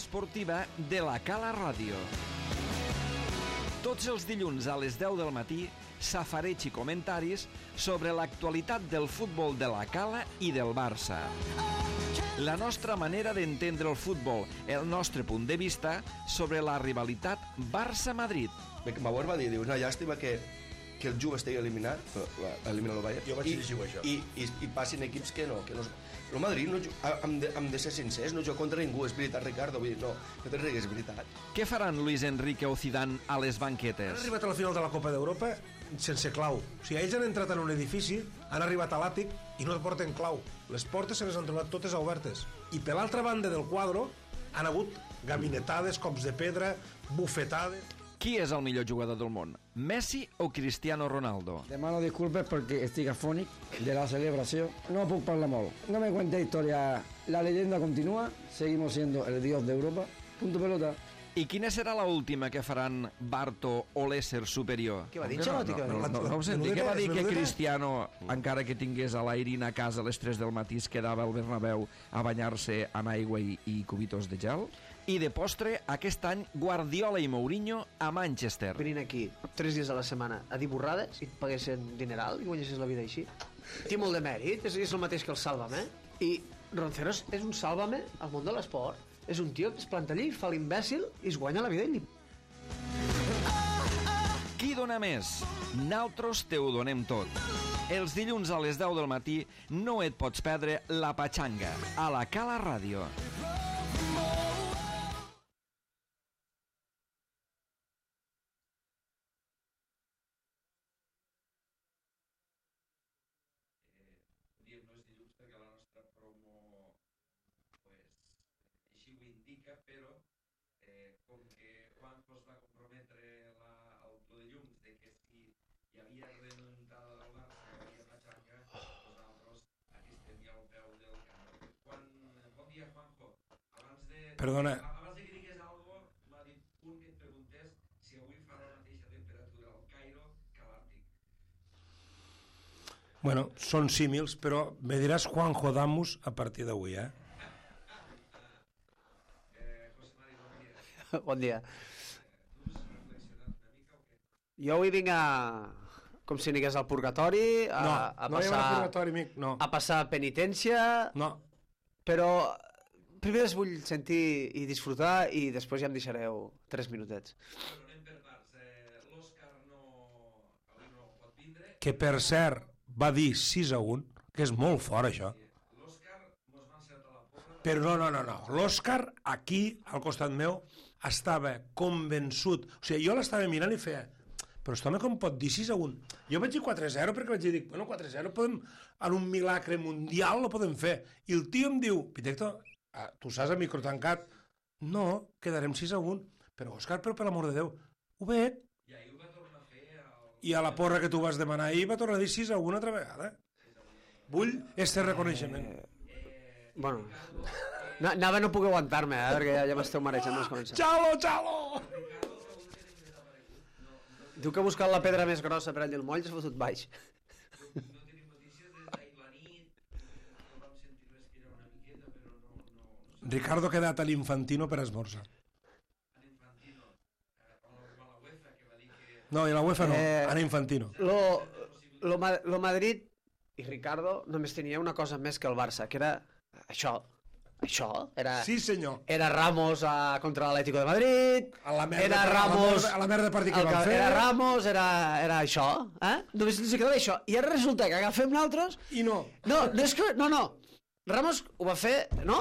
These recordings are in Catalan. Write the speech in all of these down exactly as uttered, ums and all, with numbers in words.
esportiva de la Cala Ràdio. Tots els dilluns a les deu del matí, safareig i comentaris sobre l'actualitat del futbol de la Cala i del Barça. La nostra manera d'entendre el futbol, el nostre punt de vista sobre la rivalitat Barça-Madrid. Bauer va dir, diu, una llàstima que, que el Juve estigui eliminat, elimina el Bayern, jo vaig llegir això. I, i, i passin equips que no, que no... El Madrid, no, hem, de, hem de ser sincers, no juga contra ningú, és veritat, Ricardo, vull dir, no, no te rigues, és veritat. Què faran Luis Enrique o Zidane a les banquetes? Han arribat a la final de la Copa d'Europa sense clau. O sigui, ells han entrat en un edifici, han arribat a l'àtic i no porten clau. Les portes se les han trobat totes obertes. I per l'altra banda del quadre han hagut gabinetades, cops de pedra, bufetades... Qui és el millor jugador del món? Messi o Cristiano Ronaldo? Demano disculpes perquè estic afònic de la celebració. No puc parlar molt. No me cuente historia. La leyenda continúa. Seguimos siendo el dios de Europa. Punto pelota. I quina serà la última que faran Barto o l'ésser superior? Què va dir, Xalotti? No, no, no, no, no ho senti. Què va dir que Cristiano, encara que tingués a l'Airin a casa a les tres del matí, es quedava al Bernabéu a banyar-se en aigua i, i cubitos de gel? I de postre, aquest any, Guardiola i Mourinho a Manchester. Venint aquí tres dies a la setmana a dir borrades i et paguessin dineral i guanyessis la vida així. Té molt de mèrit, és, és el mateix que el Sálvame. I Ronceros és un Sálvame al món de l'esport. És un tio que es planta allí, fa l'imbècil i es guanya la vida i li... Qui dona més? Naltros te ho donem tot. Els dilluns a les deu del matí no et pots perdre la Patxanga a la Cala Ràdio. Diem no és dilluns perquè la nostra promo pues, així ho indica, però eh, com que Juanjo es va comprometre la, el dilluns de que si hi havia remuntada del Barça, hi havia Patxanga, nosaltres aquí estem ja al peu del camp. Quan, bon dia, Juanjo. Abans de, Perdona. Abans de que digués alguna cosa, m'ha dit un que et preguntés si avui fa la mateixa temperatura al Cairo que a l'Àrtic. Bueno, són símils, però me diràs Juanjo Damus a partir d'avui, eh? Eh, José Mari, bon dia. Bon dia. Tu has reflexionat una mica o què? Jo avui vinc a... com si anigués al purgatori, a, No, a no hi passar... haurà purgatori, amic, no. A passar penitència... No, Però primer es vull sentir i disfrutar i després ja em deixareu tres minutets. Bueno, anem per parts. Eh, L'Òscar no... avui no pot vindre. que per cert va dir sis a un, que és molt fort això. L'Òscar mos va encertar la porra. Però no, no, no, no. L'Òscar aquí, al costat meu, estava convençut. O sigui, jo l'estava mirant i feia, però aquest home com pot dir sis a un? Jo vaig dir quatre a zero perquè vaig dir, bueno, quatre a zero podem, en un milagre mundial lo podem fer. I el tio em diu, Pitecto, ah, tu saps a micro tancat? No, quedarem sis a un. Però, Òscar, però per l'amor de Déu, ho veig. I ahir ho va tornar a fer el... I a la porra que tu vas demanar ahir va tornar a dir sis a un altra vegada. Vull este reconeixement. Eh, bueno, no, anava a no poder aguantar-me, eh, perquè ja, ja m'esteu marejant les començar. Xalo, xalo! Diu que ha buscat la pedra més grossa per allà el moll i s'ha fotut baix. No tenim notícies des d'ahir la nit, no vam sentir res que era una miqueta, però no... no, no sé. Ricardo ha quedat a l'Infantino per esmorzar. En Infantino, eh, amb la, amb la UEFA, que va dir que... No, i la UEFA no, Eh, a l'Infantino. Lo, lo, Ma- lo Madrid i Ricardo només tenia una cosa més que el Barça, que era això. Això era... Sí, senyor. Era Ramos a, contra l'Atlético de Madrid, A la merda, era a la Ramos... merda, a la merda partit que el van fer. Era Ramos, era, era això, eh? Només ens quedava això. I ara resulta que agafem nosaltres... I no. No, no és que... No, no. Ramos ho va fer, no?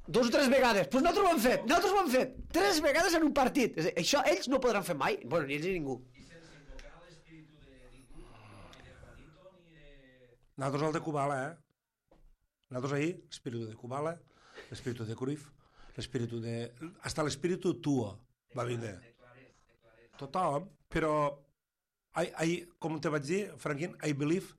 Dos o tres vegades. Doncs pues nosaltres ho hem fet. Nosaltres ho hem fet. Tres vegades en un partit. És a dir, això ells no podran fer mai. Bueno, ni ells ni ningú. I sense invocar l'espíritu de ningú, ni de Juanito, ni de... Nosaltres el de Kubala, eh? Nosaltres ahir, l'espíritu de Kubala, l'espíritu de Cruyff, l'espíritu de... Hasta l'espíritu tuo va vindre. De Clarés, de Clarés. Tothom, però... I, I, com te vaig dir, Franquín, I believe.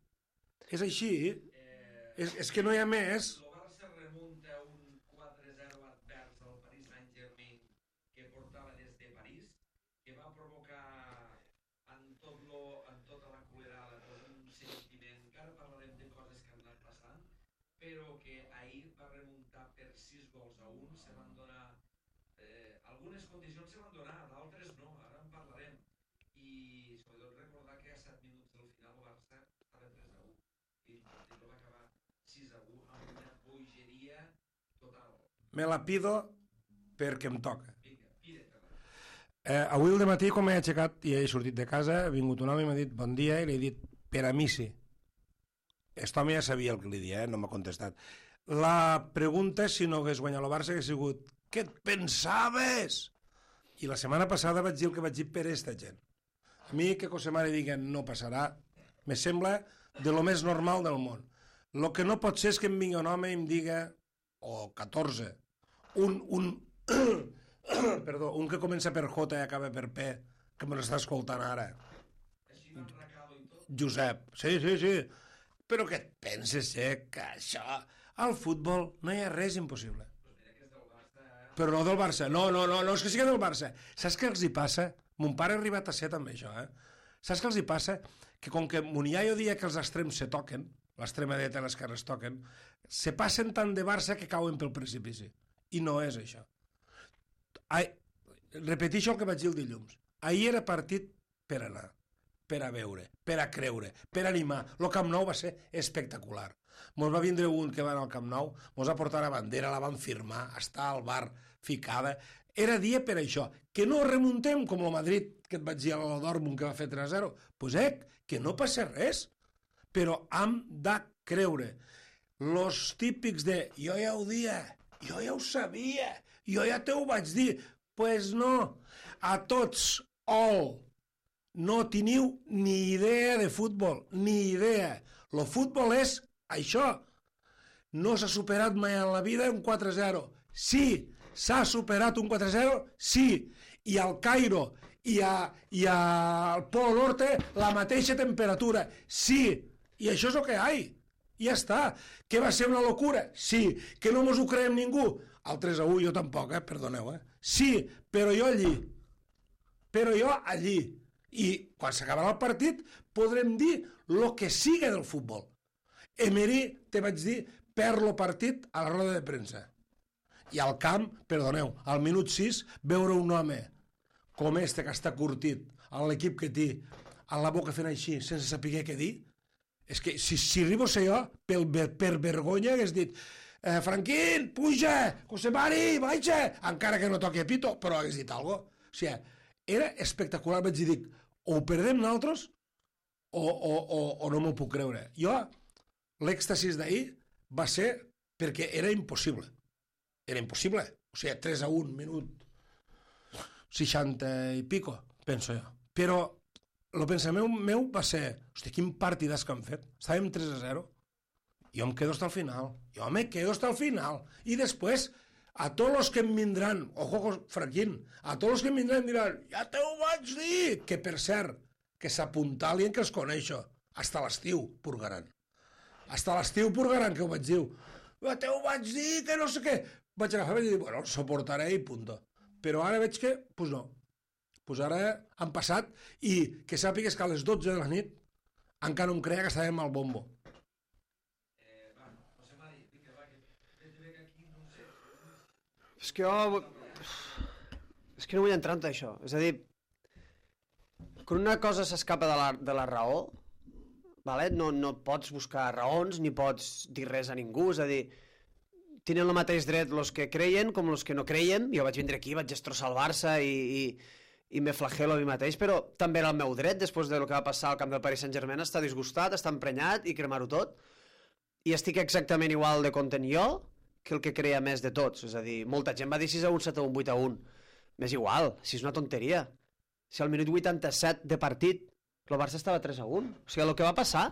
És així. Eh, És, és que no hi ha més. el Barça remunta un quatre a zero advers al Paris Saint-Germain que portava des de París, que va provocar en, tot lo, en tota la culerada un sentiment, que ara parlarem de coses que han anat passant, però que ahir va remuntar per sis gols a un, se van donar condicions se van donar, d'altres no, ara en parlarem. I sobretot recordar que a set minuts del final el Barça estava tres a u i el partit va acabar sis a u amb una bogeria total. Me la pido perquè em toca. Vinga, pide-te-la. Eh, avui al matí, quan m'he aixecat i he sortit de casa, ha vingut un home i m'ha dit bon dia i li he dit per a mi sí. Aquest home ja sabia el que li dia, eh? No m'ha contestat. La pregunta és si no hagués guanyat el Barça hagués sigut què et pensaves? I la setmana passada vaig dir el que vaig dir per aquesta gent. A mi que Cosemare digui no passarà, me sembla de lo més normal del món. Lo que no pot ser és que em vingui un home i em diga, o catorze, un, un, perdó, un que comença per J i acaba per P, que me l'està escoltant ara. Així van Racado i tot. Josep, sí, sí, sí. Però què et penses, eh, que això... Al futbol no hi ha res impossible. Pues mira que és del Barça, eh? Però no del Barça. No, no, no, no és que sigui del Barça. Saps què els hi passa? Mon pare ha arribat a ser també això, eh? Saps què els hi passa? Que com que mon iaio dia que els extrems se toquen, l'extrema dreta i l'esquerra es toquen, se passen tant de Barça que cauen pel precipici. I no és això. Ai, repeteixo el que vaig dir el dilluns. Ahir era partit per anar, per a veure, per a creure, per a animar. El Camp Nou va ser espectacular. Mos va vindre un que va anar al Camp Nou, mos va portar la bandera, la van firmar, està al bar ficada. Era dia per això. Que no remuntem com el Madrid, que et vaig dir a l'Odormund que va fer tres a zero. Doncs pues, eh, que no passa res. Però hem de creure. Los típics de jo ja ho dia, jo ja ho sabia, jo ja te ho vaig dir. Doncs pues no. A tots, all. No teniu ni idea de futbol, ni idea. Lo futbol és això. No s'ha superat mai en la vida un quatre a zero. Sí, s'ha superat un quatre a zero, sí. I al Cairo i, a, i al Polo Norte la mateixa temperatura, sí. I això és el que hi ha. I ja està. Que va ser una locura? Sí. Que no mos ho creiem ningú? Al tres a u jo tampoc, eh? Perdoneu, eh? Sí, però jo allí. Però jo allí. I quan s'acabarà el partit podrem dir el que siga del futbol. Emery, te vaig dir, perd el partit a la roda de premsa. I al camp, perdoneu, al minut sis, veure un home com este que està curtit, a l'equip que té, a la boca fent així, sense saber què dir, és que si, si arribo a ser jo, per, per vergonya hagués dit eh, Franquín, puja, Cosemari, baixa, encara que no toqui a pito, però hagués dit alguna cosa. O sigui, era espectacular, vaig dir, dic, o ho perdem nosaltres o, o, o, o no m'ho puc creure. Jo, l'èxtasis d'ahir va ser perquè era impossible. Era impossible. O sigui, tres a un, minut seixanta i pico, penso jo. Però el pensament meu va ser, hosti, quin partidàs que han fet. Estàvem tres a zero. Jo em quedo hasta el final. Jo me quedo hasta el final. I després, a tots els que em vindran, ojo, Franquín, a tots els que em vindran diran, ja te ho vaig dir, que per cert, que s'apuntalien que els coneixo. Hasta l'estiu purgaran. Hasta l'estiu purgaran, que ho vaig dir. Ja te ho vaig dir, que no sé què. Vaig agafar i vaig dir, bueno, soportaré i punto. Però ara veig que, doncs pues no. Doncs pues ara han passat i que sàpigues que a les dotze de la nit encara no em creia que estàvem al bombo. Eh, va, José Mari, vinga, va, que veig que aquí no sé. És que jo... És que no vull entrar en això. És a dir, quan una cosa s'escapa de, la, de la raó, vale? no, no pots buscar raons ni pots dir res a ningú. És a dir, tenen el mateix dret els que creien com els que no creien. Jo vaig vindre aquí, vaig destrossar el Barça i, i, i me flagelo a mi mateix, però també era el meu dret, després del que va passar al camp del Paris Saint-Germain, estar disgustat, estar emprenyat i cremar-ho tot. I estic exactament igual de content jo que el que creia més de tots. És a dir, molta gent va dir sis a un, set a un, vuit a un. M'és igual, si és una tonteria. Si al minut vuitanta-set de partit el Barça estava tres a un. O sigui, el que va passar...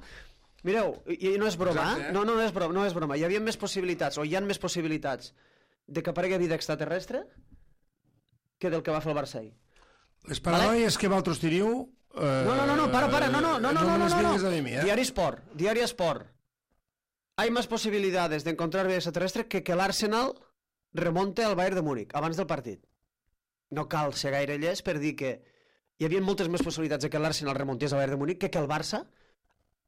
Mireu, i no és broma, Exacte, eh? no, no, no, és broma, no és broma. Hi havia més possibilitats, o hi ha més possibilitats de que aparegui vida extraterrestre que del que va fer el Barça ahir. Les paranoies vale? Que vosaltres teniu... Eh, No, no, no, no, para, para, no, no, no, no, no, me les no, no, vinguis a dir a mi, eh? Diario Sport, Diario Sport. Hay más posibilidades de encontrar vida extraterrestre que que l'Arsenal remonte al Bayern de Múnich abans del partit. No cal ser gaire llest per dir que hi havia moltes més possibilitats de que l'Arsenal remontés al Bayern de Múnich que que el Barça,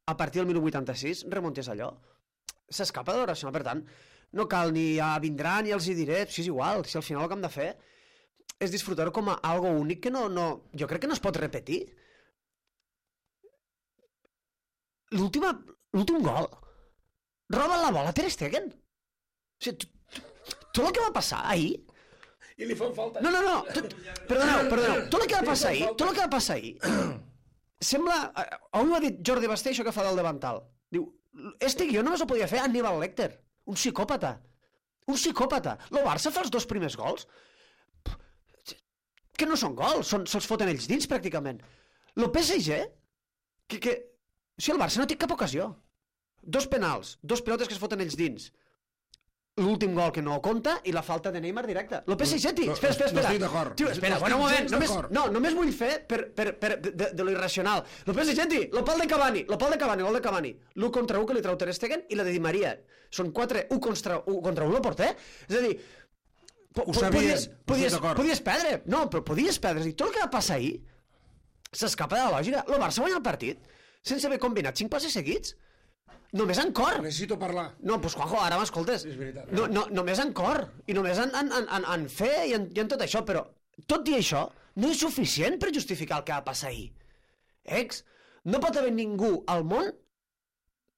a partir del minut vuitanta-sis, remontés allò. S'escapa de l'Arsenal, per tant, no cal ni a vindrà ni els hi diré, si és igual, si al final el que hem de fer... és disfrutar-ho com a algo únic que no, no, jo crec que no es pot repetir. L'última, l'últim gol. Roba la bola Ter Stegen. O sigui, tot el que va passar ahir... I li fan falta. No, no, no. Tot, perdoneu, perdoneu. Tot el que va passar ahir, tot el que va passar ahir, sembla... Avui ho ha dit Jordi Basté, això que fa del davantal. Diu, este guió només ho podia fer Aníbal Lecter. Un psicòpata. Un psicòpata. El Barça fa els dos primers gols que no són gols, són, se'ls foten ells dins, pràcticament. El P S G, que, que... O sigui, el Barça no té cap ocasió. Dos penals, dos pilotes que es foten ells dins. L'últim gol que no compta i la falta de Neymar directa. El P S G, tio, espera, espera, espera. No estic d'acord. Tio, espera, No bueno, un estic moment, només, d'acord. no, només vull fer per, per, per, de, de, de lo irracional. El P S G, tio, el pal de Cavani, el pal de Cavani, gol de Cavani. L'u contra u que li treu Ter Stegen i la de Di Maria. Són quatre, u contra u contra u el porter. És a dir, po, Ho po, sabia, podies, estic podies, d'acord. podies perdre. No, però podies perdre. És a dir, tot el que va passar ahir s'escapa de la lògica. El Barça guanya el partit sense haver combinat cinc passes seguits. Només en cor. Necessito parlar. No, doncs Juanjo, ara m'escoltes. És veritat. No, no, només en cor. I només en, en, en, en, en fer i en, i en tot això. Però tot i això no és suficient per justificar el que va passar ahir. Ex, no pot haver ningú al món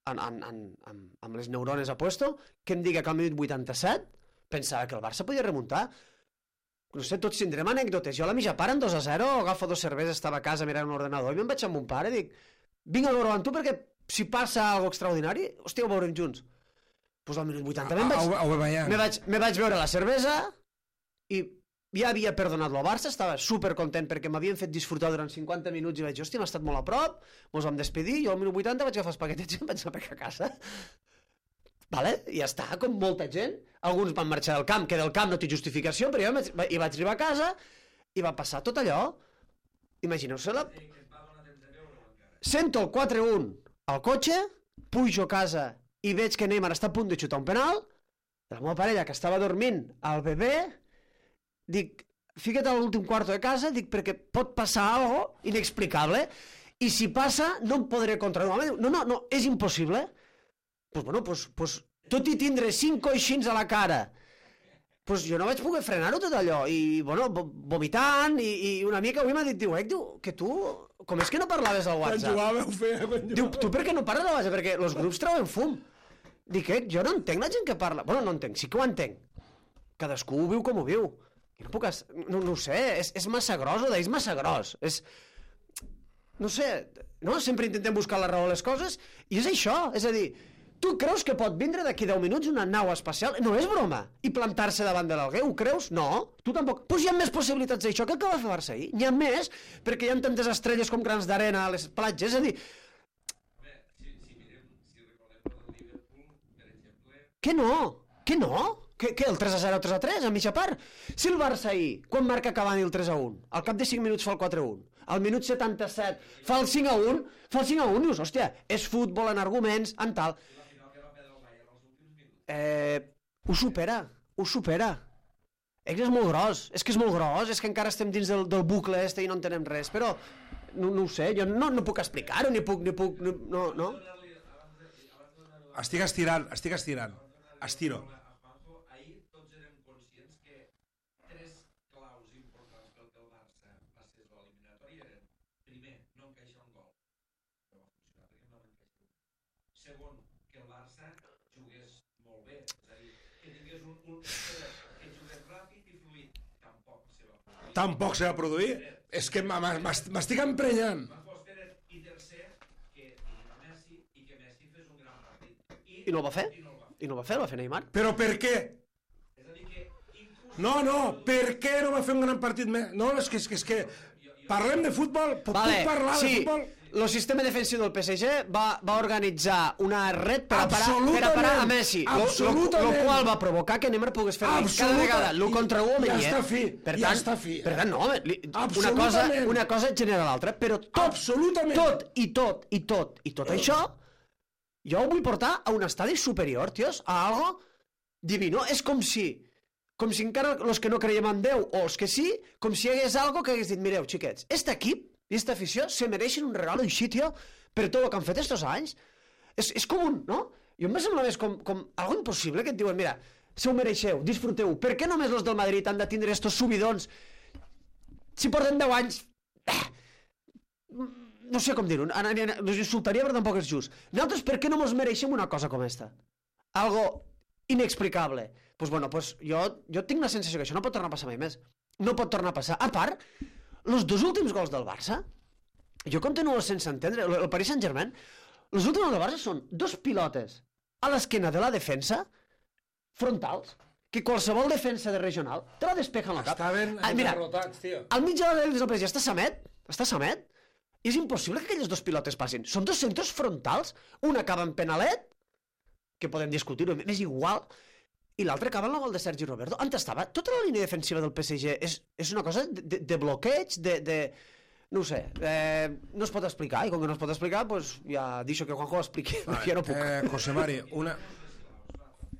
en, en, en, en, amb les neurones a puesto que em diga que al minut vuitanta-set pensava que el Barça podia remuntar. No sé, tots tindrem anècdotes. Jo a la mitja part en dos a zero agafo dos cerveses, estava a casa mirant un ordenador i me'n vaig amb mon pare i dic, vinc a veure amb tu perquè si passa alguna extraordinari, hòstia, ho veurem junts. Doncs pues al minut vuitanta me'n vaig, Ho- ho veiem. me vaig, me vaig veure la cervesa i ja havia perdonat el Barça, estava supercontent perquè m'havien fet disfrutar durant cinquanta minuts i vaig dir, hòstia, m'ha estat molt a prop, mos vam despedir, jo al minut vuitanta vaig agafar els paquetets i em vaig anar a casa. Vale? I ja està, com molta gent. Alguns van marxar del camp, que del camp no té justificació, però jo vaig, i vaig arribar a casa i va passar tot allò. Imagineu-se la... Sento el quatre a un al cotxe, pujo a casa i veig que Neymar està a punt de xutar un penal, la meva parella, que estava dormint al bebè, dic, fica't a l'últim quarto de casa, dic, perquè pot passar algo inexplicable, i si passa, no em podré controlar. No, no, no, és impossible. Pues bueno, pues, pues, tot i tindre cinc coixins a la cara, pues jo no vaig poder frenar-ho tot allò, i bueno, vomitant, i, i una mica avui m'ha dit, diu, eh, diu, que tu, com és que no parlaves al Quan WhatsApp? jugàveu, feia, quan Diu, jugàveu. tu per què no parles al WhatsApp? Perquè els grups treuen fum. Dic, eh, jo no entenc la gent que parla. Bueno, no entenc, sí que ho entenc. Cadascú ho viu com ho viu. Jo no puc... Es... No, no ho sé, és, és massa gros, o és massa gros. És... No sé, no? Sempre intentem buscar la raó a les coses, i és això, és a dir, tu creus que pot vindre d'aquí deu minuts una nau espacial? No és broma. I plantar-se davant de l'alguer, ho creus? No, tu tampoc. Doncs hi ha més possibilitats d'això que el que va fer Barça ahir. N'hi ha més, perquè hi ha tantes estrelles com grans d'arena a les platges. És a dir, Home, si, si mirem, si recordem el Liverpool, per exemple, que no, que no. Que, que el tres a zero, tres a tres, a mitja part. Si el Barça ahir, quan marca Cavani el tres a un, al cap de cinc minuts fa el quatre a un, al minut setanta-set fa el cinc a un, fa el cinc a un, dius, hòstia, és futbol en arguments, en tal. la final que va perdre el Bayern als últims minuts. Eh, ho supera, ho supera. És que és molt gros, és que és molt gros, és que encara estem dins del, del bucle este i no entenem res, però no, no ho sé, jo no, no puc explicar-ho, ni puc, ni puc, ni, no, no. Estic estirant, estic estirant. Estiro. A Juanjo, ahir tots érem conscients que tres claus importants pel que el Barça passés a l'eliminatòria eren, primer, no encaixar un gol, no va funcionar perquè no l'encaixar. Segon, que el Barça jugués molt bé, és a dir, que tingués un, un que jugués ràpid i fluid, tampoc se va produir. Tampoc se va produir. És que m- m- m'est- m'estic emprenyant. Va fos Pérez i tercer, que tenim a Messi i que Messi fes un gran partit. I, I no el va fer? I no el va fer. I no el va fer, el va fer Neymar. Però per què? És a dir que inclús... No, no, per què no va fer un gran partit més? No, és que, és que, és que parlem de futbol, puc, Vale, puc parlar sí, de futbol? el sistema defensiu del P S G va, va organitzar una red per a parar, per a, Absolutament, parar a Messi, lo, lo, absolutament. lo qual va provocar que Neymar pogués fer cada Absoluta- vegada l'u contra u amb ja ell, eh? està fi, per ja tant, està fi. Per tant, no, home, li, una, cosa, Absolutament. una cosa genera l'altra, però tot, Absolutament. tot i tot i tot i tot això, jo ho vull portar a un estadi superior, tios, a algo divino. És com si, com si encara els que no creiem en Déu, o els que sí, com si hi hagués algo que hagués dit, mireu, xiquets, este equip i esta afició se mereixen un regalo així, tio, per tot el que han fet estos anys. És, és com un, no? Jo em sembla més com, com algo impossible que et diuen, mira, se ho mereixeu, disfruteu. Per què només els del Madrid han de tindre estos subidons si porten deu anys... No sé com dir-ho, us insultaria però tampoc és just. Nosaltres per què no mos mereixem una cosa com esta? Algo inexplicable. Doncs pues bueno, pues jo, jo tinc la sensació que això no pot tornar a passar mai més. No pot tornar a passar. A part, els dos últims gols del Barça, jo continuo sense entendre, el, el Paris Saint-Germain, els últims gols del Barça són dos pilotes a l'esquena de la defensa, frontals, que qualsevol defensa de regional te la despeja en el cap. Estaven Ah, mira, enderrotats, tio. al mig de la del està Samet, està Samet, i és impossible que aquelles dos pilotes passin. Són dos centres frontals, un acaba en penalet, que podem discutir-ho, m'és igual, i l'altre acaba en el gol de Sergi Roberto. On estava? Tota la línia defensiva del P S G és, és una cosa de, de, de bloqueig, de... de... No ho sé, eh, no es pot explicar, i com que no es pot explicar, pues ja deixo que Juanjo ho expliqui, perquè ja no puc. Eh, José Mari, una...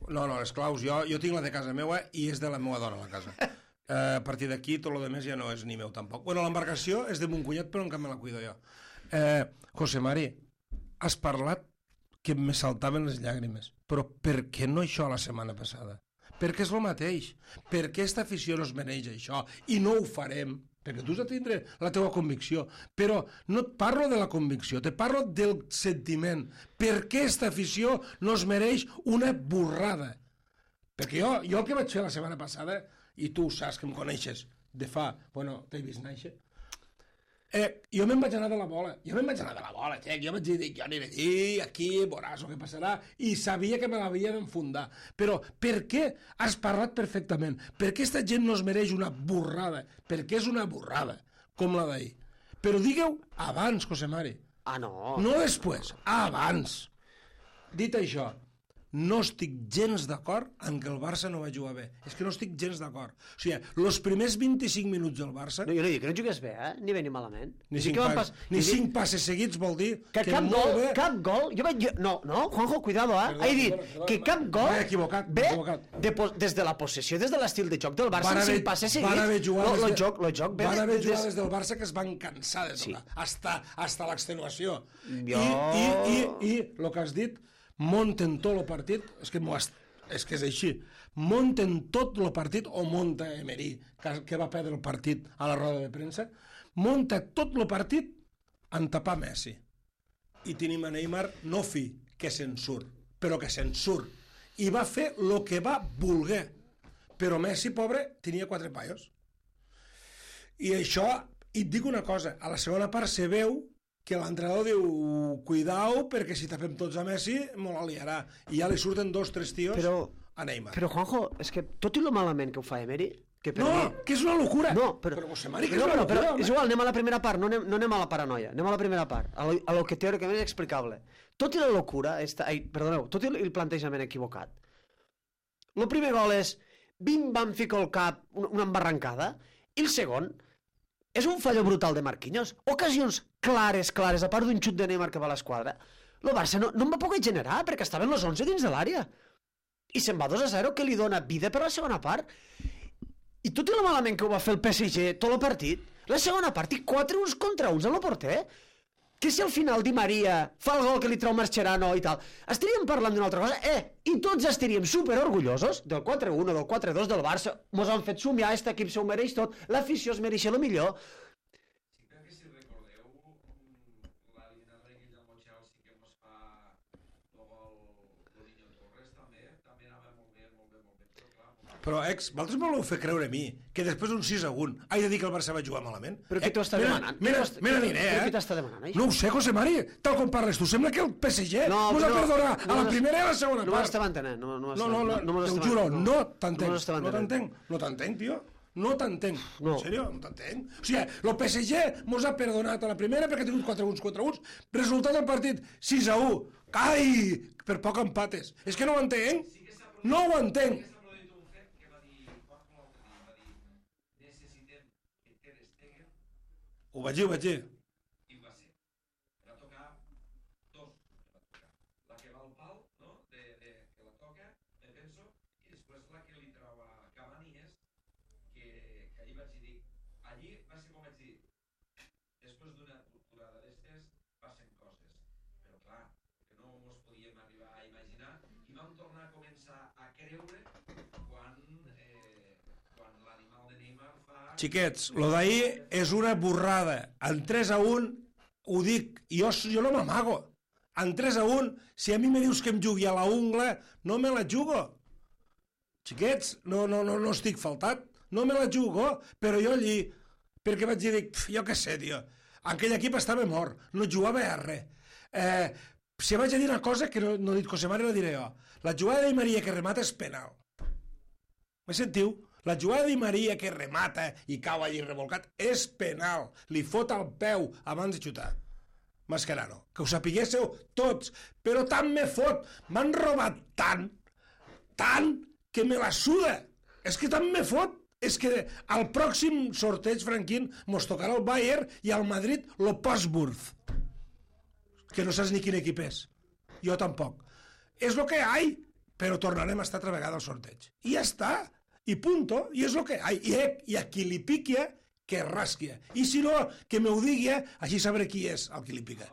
No, no, les claus, jo, jo tinc la de casa meva i és de la meva dona, la casa. Eh, a partir d'aquí, tot el demés ja no és ni meu, tampoc. Bueno, l'embarcació és de mon cunyat, però encara me la cuido jo. Eh, José Mari, has parlat que me saltaven les llàgrimes, però per què no això la setmana passada? Perquè és el mateix. Per què aquesta afició no es mereix això? I no ho farem, perquè tu has de tindre la teva convicció. Però no et parlo de la convicció, te parlo del sentiment. Per què aquesta afició no es mereix una borrada? Perquè jo, jo el que vaig fer la setmana passada, i tu saps que em coneixes de fa... Bueno, t'he vist néixer. Eh, jo me'n vaig anar de la bola, jo me'n vaig anar de la bola, xec. Jo vaig dir, jo aniré aquí, aquí, veuràs el que passarà, i sabia que me l'havia d'enfundar. Però per què has parlat perfectament? Per què aquesta gent no es mereix una borrada? Perquè és una borrada, com la d'ahir. Però digueu abans, José Mari. Ah, no. No després, abans. Dit això, no estic gens d'acord en que el Barça no va jugar bé. És que no estic gens d'acord. O sigui, els primers vint-i-cinc minuts del Barça... No, jo no dic que no jugués bé, eh? Ni bé ni malament. Ni, Sí cinc, que van pas, pas- ni jo dic cinc passes seguits vol dir Que, que, cap molt gol, bé... cap gol... Jo vaig... Jo, no, no, Juanjo, cuidado, eh? Perdó, He dit perdó, perdó, que cap gol... m'he equivocat, m'he ve equivocat. De, po- des de la possessió, des de l'estil de joc del Barça, Van amb haver, cinc passes van haver seguits. jugades, Lo, lo de- joc, lo joc ve van de- haver des- jugades del Barça que es van cansar de Sí. tocar, hasta, hasta l'extenuació. Jo- I, i, i, i el que has dit, munten tot el partit, és que, has, és que és així, munten tot el partit, o munta Emery, que, que va perdre el partit a la roda de premsa, munta tot el partit en tapar Messi. I tenim a Neymar no fi, que se'n surt, però que se'n surt. I va fer el que va voler. Però Messi, pobre, tenia quatre paios. I això, i et dic una cosa, a la segona part se veu que l'entrenador diu, cuidao, perquè si tapem tots a Messi, me la liarà. I ja li surten dos, tres tios Però, a Neymar. però Juanjo, és que tot i lo malament que ho fa Emery, que per no, mi... que és una locura. No, però... Però José Mari, que no, és una però, però locura, és home. igual, anem a la primera part, no anem, no anem a la paranoia, anem a la primera part, a lo, a lo que teòricament és explicable. Tot i la locura, esta, ai, perdoneu, tot i el plantejament equivocat, el primer gol és bim-bam, fico el cap, una, una embarrancada, i el segon és un fallo brutal de Marquinhos. Ocasions clares, clares, a part d'un xut de Neymar que va a l'esquadra, el Barça no, no en va poder generar, perquè estaven els onze dins de l'àrea. I se'n va dos a zero, que li dona vida per la segona part. I tot i el malament que ho va fer el P S G tot el partit, la segona part i quatre uns contra uns a la porter, que si al final Di Maria fa el gol que li treu Mascherano i tal, estaríem parlant d'una altra cosa, eh, i tots estaríem super orgullosos del quatre u, del quatre dos del Barça, mos han fet somiar, aquest equip s'ho mereix tot, l'afició es mereix el millor. Sí, crec que si recordeu mm, l'eliminatòria aquella amb el Chelsea que mos fa el gol Niño Torres també, també anava molt bé, molt bé, molt bé, però clar, molt Però, ex, vosaltres voleu fer creure a mi que després d'un sis a un he de dir que el Barça va jugar malament? Però qui t'ho està mira, demanant? Mira, Qui t'ho està- mira, qui- aniré, però eh? qui t'està demanant, això? No ho sé, José Mari, tal com parles tu. Sembla que el P S G No, mos ha no, perdonat a no la mos- primera i a la segona No part. m'estava entenent, no, no, No, no, no, no, te ho juro, no t'entenc. No m'estava No entenent. t'entenc, no t'entenc, tio. No t'entenc. No. En sèrio, no t'entenc. O sigui, el P S G mos ha perdonat a la primera perquè ha tingut quatre uns contra uns. Resultat del partit, sis a u. Ai, per poc empates. És que no ho entenc. No ho entenc. s'ha produït un fet que va dir Juanjo l'altre dia, va dir necessitem que Ter Stegen, Ho vaig dir, ho vaig dir. i va ser. Va tocar dos, va tocar. La que va al pal, no?, de, de, que la toca, me penso, i després la que li trau a Cavani és que, que allí vaig dir, allí va ser com vaig dir, després d'una torturada d'estes passen coses, però clar, que no mos podíem arribar a imaginar, i vam tornar a començar a creure quan, eh, quan l'animal de Neymar fa xiquets, lo d'ahir és una borrada. En tres a un, ho dic, jo, jo no m'amago. En tres a un, si a mi me dius que em jugui a la ungla, no me la jugo. Xiquets, no, no, no, no estic faltat, no me la jugo, però jo allí, perquè vaig dir, dic, jo què sé, tio, aquell equip estava mort, no jugava a res. Eh, si vaig a dir una cosa que no, no he dit José Mario, la diré jo. La jugada de Maria que remata és penal. Me sentiu? La jugada de Maria que remata i cau allí revolcat és penal. Li fot al peu abans de xutar. Mascherano, que ho sapiguéssiu tots, però tant me fot, m'han robat tant, tant, que me la suda. És que tant me fot, és que al pròxim sorteig, Franquín, mos tocarà el Bayern i al Madrid lo Postburg, que no saps ni quin equip és. Jo tampoc. És lo que hi, però tornarem a estar altra vegada al sorteig. I ja està. I punto, i és el que hi. I, i a qui li piqui, que rasquia. I si no, que me ho digui, així sabré qui és el que li pica.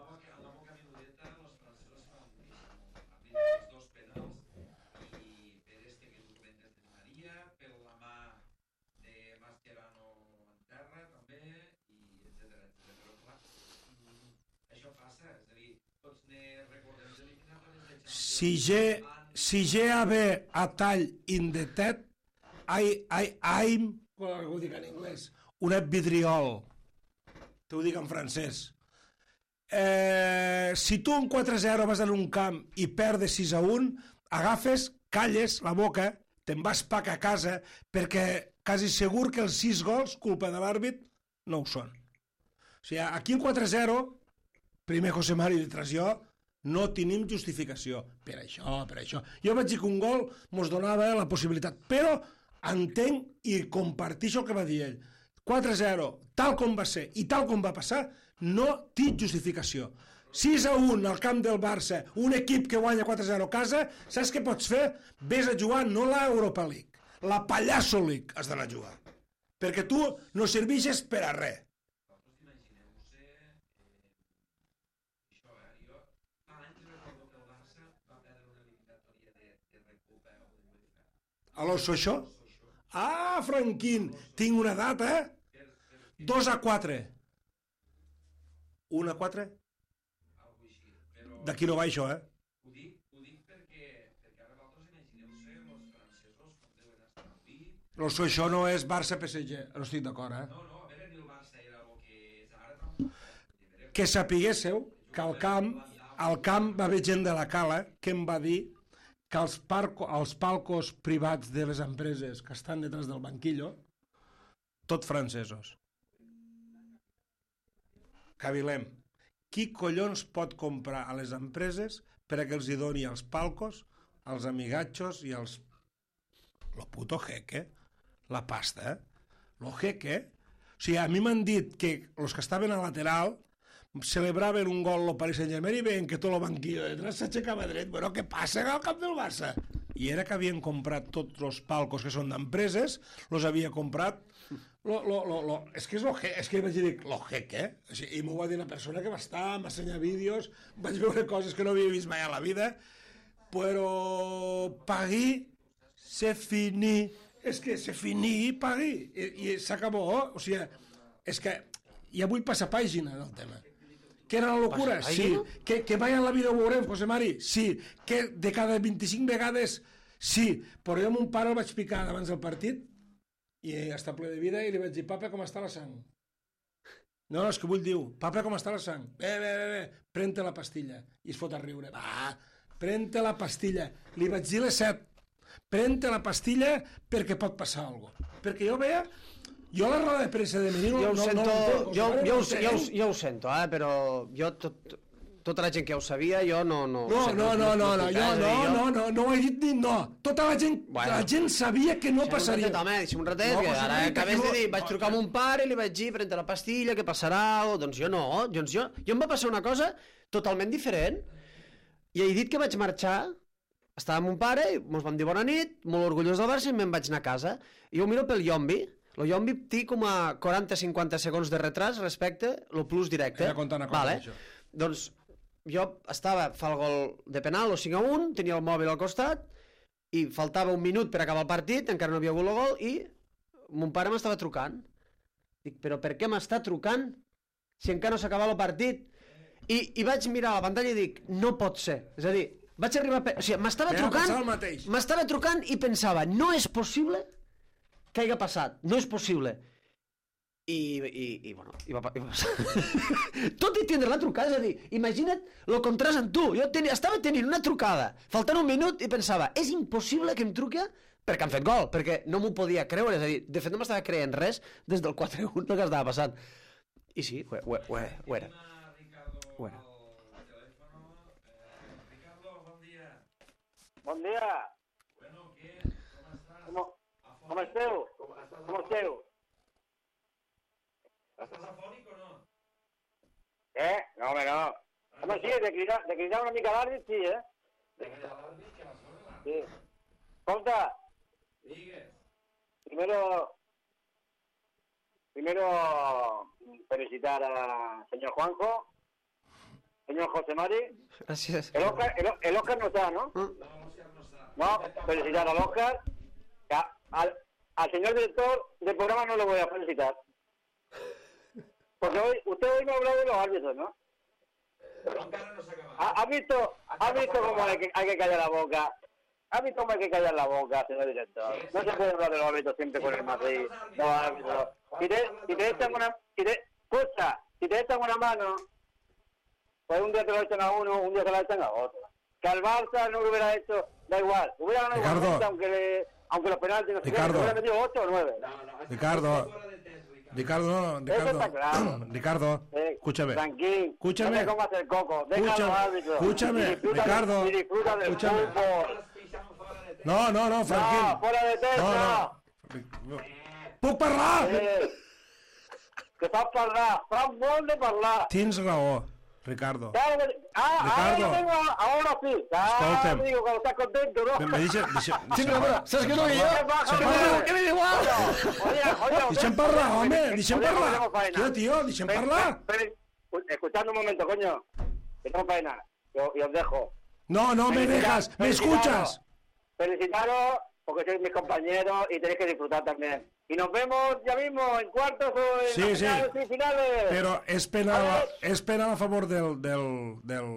Si G, si G A B a tall in the tet, I, I, I'm, ho dic en anglès, un vidriol, t'ho dic en francès. Eh, si tu un quatre zero vas en un camp i perdes sis a un, agafes, calles la boca, te'n vas pac a casa, perquè quasi segur que els sis gols, culpa de l'àrbit, no ho són. O sigui, aquí el quatre zero, primer José Mario i detrás jo, no tenim justificació. Per això, per això. Jo vaig dir que un gol mos donava la possibilitat, però entenc i compartixo el que va dir ell. quatre zero, tal com va ser i tal com va passar, no té justificació. sis a un al camp del Barça, un equip que guanya quatre zero a casa, saps què pots fer? Ves a jugar no la Europa League, la Pallasso League has d'anar a jugar. Perquè tu no serveixes per a res. A l'Osso això? Ah, Franquín, tinc una data, eh? dos a quatre. un a quatre? D'aquí no va això, eh? Ho dic, ho dic perquè, perquè ara vosaltres imagineu-se els francesos com deuen estar avui. L'Osso això no és Barça-P S G, no estic d'acord, eh? No, no, a veure, ni el Barça era el que és ara tampoc. Que sapiguésseu que al camp, al camp va haver gent de la Cala que em va dir que els, parco, els palcos privats de les empreses que estan detrás del banquillo, tot francesos. Cavilem. Qui collons pot comprar a les empreses per a que els hi doni els palcos, els amigatxos i els... Lo puto jeque, la pasta, eh? Lo jeque. O sigui, a mi m'han dit que els que estaven a lateral celebraven un gol al Paris Saint-Germain i veien que tot el banquillo de detrás s'aixecava dret. Bueno, què passa al camp del Barça? I era que havien comprat tots els palcos que són d'empreses, els havia comprat... Lo, lo, lo, lo, és que és, lo, és que vaig dir, lo jeque, eh? I m'ho va dir una persona que va estar, m'ha ensenyat vídeos, vaig veure coses que no havia vist mai a la vida, però pagui, c'est fini, és que c'est fini, pagui, i, i s'acabó, o sigui, és que ja vull passar pàgina del tema. Que era la locura? Sí. Que, que mai en la vida ho veurem, José Mari? Sí. Que de cada vint-i-cinc vegades? Sí. Però jo a mon pare el vaig picar abans del partit i està ple de vida i li vaig dir, papa, com està la sang? No, no, és que vull dir, papa, com està la sang? Bé, bé, bé, bé, pren-te la pastilla. I es fot a riure. Va, pren-te la pastilla. Li vaig dir les set. Pren-te la pastilla perquè pot passar alguna cosa. Perquè jo veia... Jo la roda de premsa de Menino... Jo ho no, sento, no, no, jo, jo, no, jo, no, jo, jo ho sento, eh, però jo, tot, tota la gent que ho sabia, jo no... No, no, sento, no, no, no, no, jo, no, jo... no, no, no ho he dit ni no. Tota la gent, Bueno. la gent sabia que no Deixa'm passaria. un ratet, home, deixa'm un ratet, No, que José ara María, acabes que de no- dir, vaig trucar a mon pare i li vaig dir, pren-te la pastilla, què passarà? O, doncs jo no, doncs jo, jo em va passar una cosa totalment diferent. I he dit que vaig marxar, estava amb mon pare, i mos vam dir bona nit, molt orgullós del Barça, i me'n vaig anar a casa. I ho miro pel Yombi, el Yombi té com a quaranta a cinquanta segons de retras respecte al plus directe. Era contar una cosa, vale. això. Doncs jo estava, fa el gol de penal, o cinc a un, tenia el mòbil al costat, i faltava un minut per acabar el partit, encara no havia hagut el gol, i mon pare m'estava trucant. Dic, però per què m'està trucant si encara no s'ha acabat el partit? I, I vaig mirar la pantalla i dic, no pot ser. És a dir, vaig arribar... A... O sigui, m'estava trucant, m'estava trucant i pensava, no és possible que hagi passat, no és possible. I, i, i bueno, i va, i va passar. Tot i tindre la trucada, és a dir, imagina't el contrast en tu. Jo tenia, estava tenint una trucada, faltant un minut, i pensava, és impossible que em truqui perquè han fet gol, perquè no m'ho podia creure, és a dir, de fet no m'estava creient res des del quatre a un que estava passant. I sí, ho, ho, ho, ho era. Ho era. Ricardo, bon dia. Bon dia. Bueno, què? Com estàs? Com, com esteu? Com esteu? Estàs afònic o no? Eh? No, home, no. Home, sí, de cridar, de cridar una mica l'àrbit, sí, eh? De cridar l'àrbit que la sona. Sí. Escolta, Digues. primero, primero felicitar al señor Juanjo, señor José Mari. Gràcies. El Oscar, el, el Oscar no está, ¿no? No, l'Òscar no està. No, felicitar al Oscar. A- Al, al señor director del programa no le voy a felicitar. Porque hoy, usted hoy me ha hablado de los árbitros, ¿no? Però encara no s'ha acabat. ¿Ha, ha visto, ha visto cómo hay que, hay que callar la boca? ¿Ha visto cómo hay que callar la boca, señor director? No se puede hablar de los árbitros siempre con el Madrid. Los árbitros. Si te, si te echan una... Si te, escucha, si te echan una mano, pues un día te lo echan a uno, un día te lo echan a otro. Que al Barça no lo hubiera hecho, da igual. Hubiera ganado Ricardo. igualmente, aunque, le, aunque los penaltis no se Ricardo. hubiera metido ocho o nueve. Ricardo, Ricardo, no, Eso Ricardo, está claro. Ricardo, Eh, escúchame. Tranquilo. Escúchame. No te comas el coco. Deja a los Escúchame, árbitros. escúchame, Y disfruta, Ricardo, y disfruta del escúchame. fútbol. No, no, no, No, tranquil. fuera de test, No, no. no. Puc parlar? Eh, que saps parlar, saps molt de parlar. Tens raó, Ricardo. Claro que- Ah, Ricardo. ahora, tengo, ahora sí. Ah, Escolta'm. digo, cuando estás contento, ¿no? Me, me deixa, deixa, Sí, però, però, saps que no hi ¿Qué jo? pasa, Se hombre? parla. Que me da igual. Oye, oye, Deixa'm parlar, home, deixa'm Oye, parlar. tenemos faena. Tio, tio, deixa'm Ven, parlar. ven, ven, escuchando un momento, coño. Que tengo faena. Yo, y os dejo. No, no me dejas, me escuchas. Felicitaros, porque sois mis compañeros y tenéis que disfrutar también. Y nos vemos ya mismo en cuartos o en Sí, las sí. finales, semifinales. Però és penal, és penal a favor del, del, del,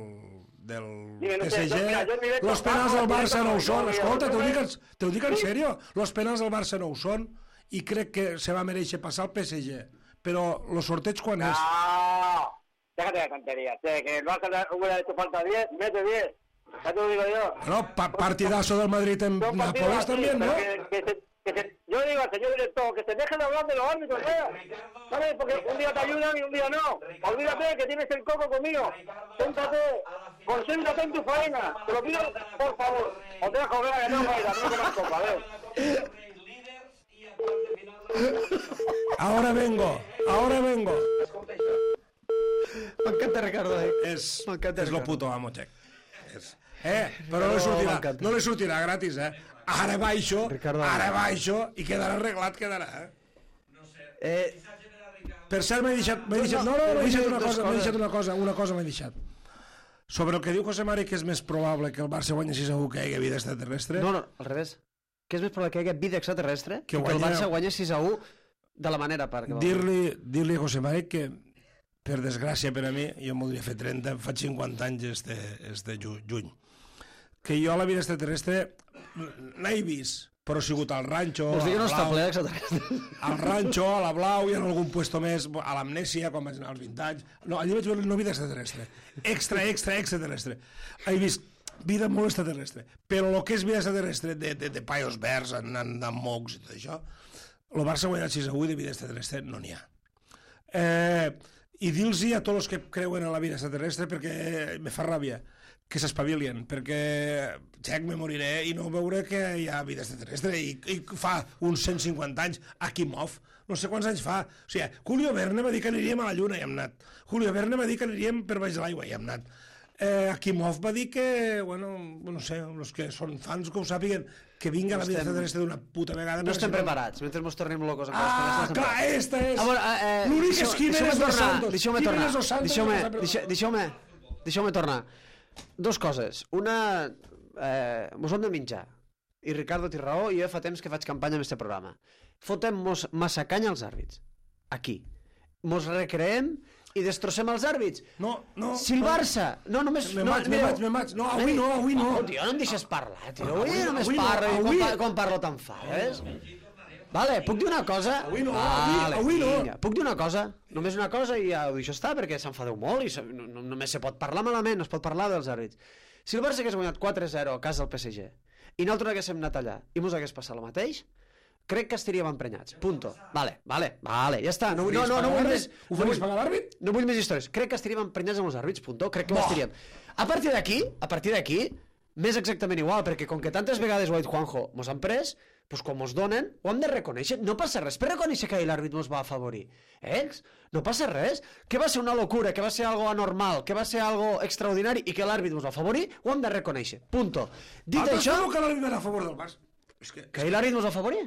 del Dime, no P sé, S yo- mira, yo en G. directo Los penals bajo, del Barça no ho directo són. bajo, Escolta, yo- t'ho dic, en- yo- t'ho dic en Sí. sèrio. Los penals del Barça no ho són i crec que se va mereixer passar el P S G. Però el sorteig quan és? No, déjate de tonterías. Che, que el Barça le hubiera hecho falta diez, mete diez. Ya te lo digo yo. No, pa partidazo del Madrid en Son partidos Nápoles así, también, ¿no? pero Que, que se, que se, yo digo al señor director que se deje de hablar de los árbitros, ¿eh? ¿Sabes? Porque un día te ayudan y un día no. Olvídate que tienes el coco conmigo. Siéntate, concéntrate en tu faena. Te lo pido, por favor. Os dejo, venga, que tengo faena, no comas copa, a ver. Líders i en quarts de final de la Ahora vengo, ahora vengo. M'encanta, Ricardo. Eh? És, M'encanta, és lo Ricardo. puto amo, Txec. És, eh, però no li sortirà, m'encanta. no li sortirà gratis, eh? Ara baixo, Ricardo. ara baixo i quedarà arreglat, quedarà, eh? Eh, Per cert, m'he deixat, m'he deixat, no, no, m'he deixat una cosa, m'he deixat una cosa, una cosa m'he deixat. Sobre el que diu José Mari, que és més probable que el Barça guanyi sis a u que hi hagi vida extraterrestre, no, no, al revés. Que és més probable que hi hagi vida extraterrestre Que que, que el guanya- Barça guanya sis a u de la manera per... dir-li dir-li a José Mari que, per desgràcia per a mi, jo em voldria fer trenta, em faig cinquanta anys este, este ju- juny, que jo a la vida extraterrestre n'he vist, però ha sigut al ranxo, Vols dir que no a està Blau, ple extraterrestre? al ranxo, a la Blau i en algun puesto més, a l'Amnèsia, quan vaig anar als vint anys. No, allà vaig veure no vida extraterrestre. Extra, extra, extraterrestre. He vist vida molt extraterrestre. Però el que és vida extraterrestre de, de, de paios verds, anant amb mocs i tot això, el Barça ha guanyat sis a u i de vida extraterrestre no n'hi ha. Eh, I dir-los a tots els que creuen en la vida extraterrestre, perquè me fa ràbia, que s'espavilien, perquè xec, me moriré i no veure que hi ha vida extraterrestre i, i fa uns cent cinquanta anys a Kimov, no sé quants anys fa o sigui, Julio Verne va dir que aniríem a la Lluna i hem anat, Julio Verne va dir que aniríem per baix de l'aigua i hem anat, eh, Akimov va dir que, bueno, no sé, els que són fans que ho sàpiguen, que vinga la vida estem- extraterrestre d'una puta vegada. No perquè estem si preparats, mentre mos tornem locos. amb les Ah, coses, clar, estem esta és... preparats. A veure, eh, eh, L'únic deixeu- és Jiménez deixeu-me dos tornar, Santos. Deixeu-me Jiménez tornar, dos Santos deixeu-me, no s'ha preparat. deixeu- deixeu-me, deixeu-me tornar. Dos coses. Una, eh, mos hem de menjar. I Ricardo té raó, i jo fa temps que faig campanya amb aquest programa. Fotem-mos massa canya als àrbits. aquí. Mos recreem i destrossem els àrbits. No, no. Si el Barça... No, només... Me no, maig, me mireu. maig, me maig. No, avui no, avui no. Oh, tio, no em deixes parlar, tio. Avui, Avui- només avui no, parlo i avui- quan, pa- quan parlo t'enfades. Vale, puc dir una cosa? Avui no, vale, avui- avui no. vinga. Puc dir una cosa? Només una cosa i ja ho deixo estar perquè s'enfadeu molt i se, no, no, només se pot parlar malament, no es pot parlar dels àrbits. Si el Barça hagués guanyat quatre zero a casa del P S G i nosaltres haguéssim anat allà i mos hagués passat el mateix, crec que estaríem emprenyats. Punto. Vale, vale, vale, ja està. No, vull- no, no, no vull més... Ho no faries vull- pagar l'àrbit? no vull més històries. Crec que estaríem emprenyats amb els àrbits, punto. Crec que ho estaríem. A partir d'aquí, a partir d'aquí, més exactament igual, perquè com que tantes vegades ho ha dit Juanjo, mos han pres, doncs com mos donen, ho hem de reconèixer. No passa res per reconèixer que ahir l'àrbit mos va afavorir. Ells? No passa res. Que va ser una locura, que va ser algo anormal, que va ser algo extraordinari i que l'àrbit mos va afavorir, ho hem de reconèixer. Punto. Dit Altres això, diuen que l'àrbit era a favor del Barça. És que que ahir l'àrbit mos va afavorir.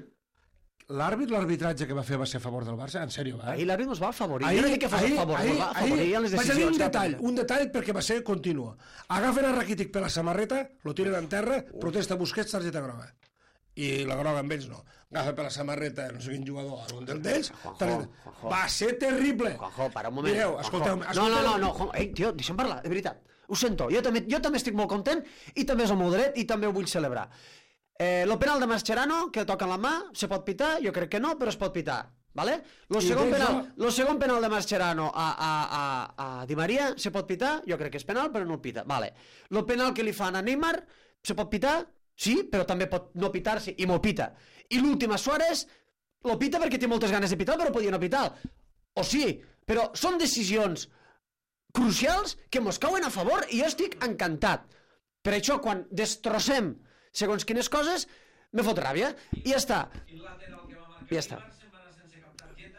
l'àrbit, l'arbitratge que va fer va ser a favor del Barça, en sèrio, va? Ahir l'àrbit mos va afavorir. Jo no dic que fos a favor, mos va afavorir en les vaig a dir decisions. un que va detall, prendre. un detall perquè va ser continu. Agafen a Rakitic per la samarreta, lo tiren en terra, protesta Busquets, targeta groga. I la groga amb ells no. Agafa per la samarreta, no sé quin jugador, algun del d'ells, Juanjo, targeta... Juanjo. Va ser terrible. Juanjo, para un moment. Mireu, Juanjo. escolteu... No, no, no, no, Juanjo. Ei, tio, deixa'm parlar, de veritat. Ho sento, jo també, jo també estic molt content i també és el meu dret i també ho vull celebrar. Eh, lo penal de Mascherano, que toca en la mà, se pot pitar? Jo crec que no, però es pot pitar. ¿Vale? Lo I segon, tens penal, la- lo segon penal de Mascherano a, a, a, a Di Maria se pot pitar? Jo crec que és penal, però no el pita. Vale. Lo penal que li fan a Neymar se pot pitar? Sí, però també pot no pitar-se i m'ho pita. I l'últim a Suárez lo pita perquè té moltes ganes de pitar, però podia no pitar. O sí, però són decisions crucials que mos cauen a favor i jo estic encantat. Per això, quan destrossem segons quines coses, me fot ràbia. I ja està. I ja està.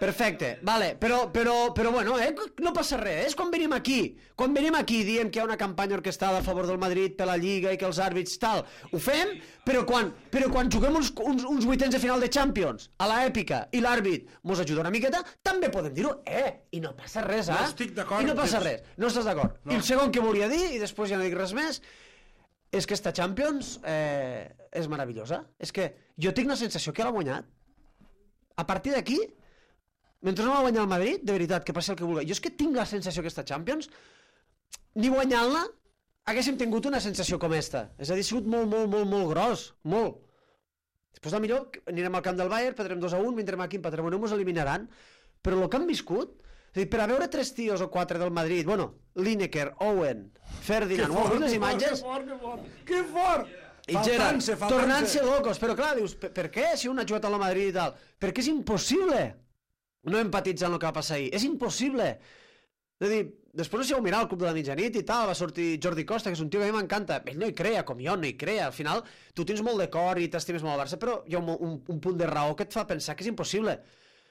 Perfecte, vale, però, però, però bueno, eh, no passa res, és quan venim aquí, quan venim aquí diem que hi ha una campanya orquestada a favor del Madrid per la Lliga i que els àrbits tal, ho fem, però quan, però quan juguem uns, uns, uns vuitens de final de Champions, a l'èpica, i l'àrbit mos ajuda una miqueta, també podem dir-ho, eh, i no passa res, eh? No estic d'acord, I no passa tens- res, no estàs d'acord. No. I el segon que volia dir, i després ja no dic res més, és que esta Champions eh, és meravellosa. És que jo tinc la sensació que l'ha guanyat. A partir d'aquí, mentre no va guanyar el Madrid, de veritat, que passi el que vulgui. Jo és que tinc la sensació que esta Champions, ni guanyant-la, haguéssim tingut una sensació com esta. És a dir, ha sigut molt, molt, molt, molt gros. Molt. Després, de millor, anirem al camp del Bayern, perdrem dos a un, vindrem aquí, empatarem un, ens eliminaran. Però el que han viscut, és a dir, per a veure tres tios o quatre del Madrid, bueno, Lineker, Owen, Ferdinand, ho heu vist les imatges? Que fort, que fort, que fort! I Gerard, Faltant-se, faltant-se. tornant-se locos, però clar, dius, per, per què si un ha jugat a la Madrid i tal? Perquè és impossible no empatitzar amb el que va passar ahir, és impossible. És a dir, després no sé si heu mirat el Club de la Mitjanit i tal, va sortir Jordi Costa, que és un tio que a mi m'encanta, ell no hi crea, com jo no hi crea, al final tu tens molt de cor i t'estimes molt al Barça, però hi ha un, un, un punt de raó que et fa pensar que és impossible.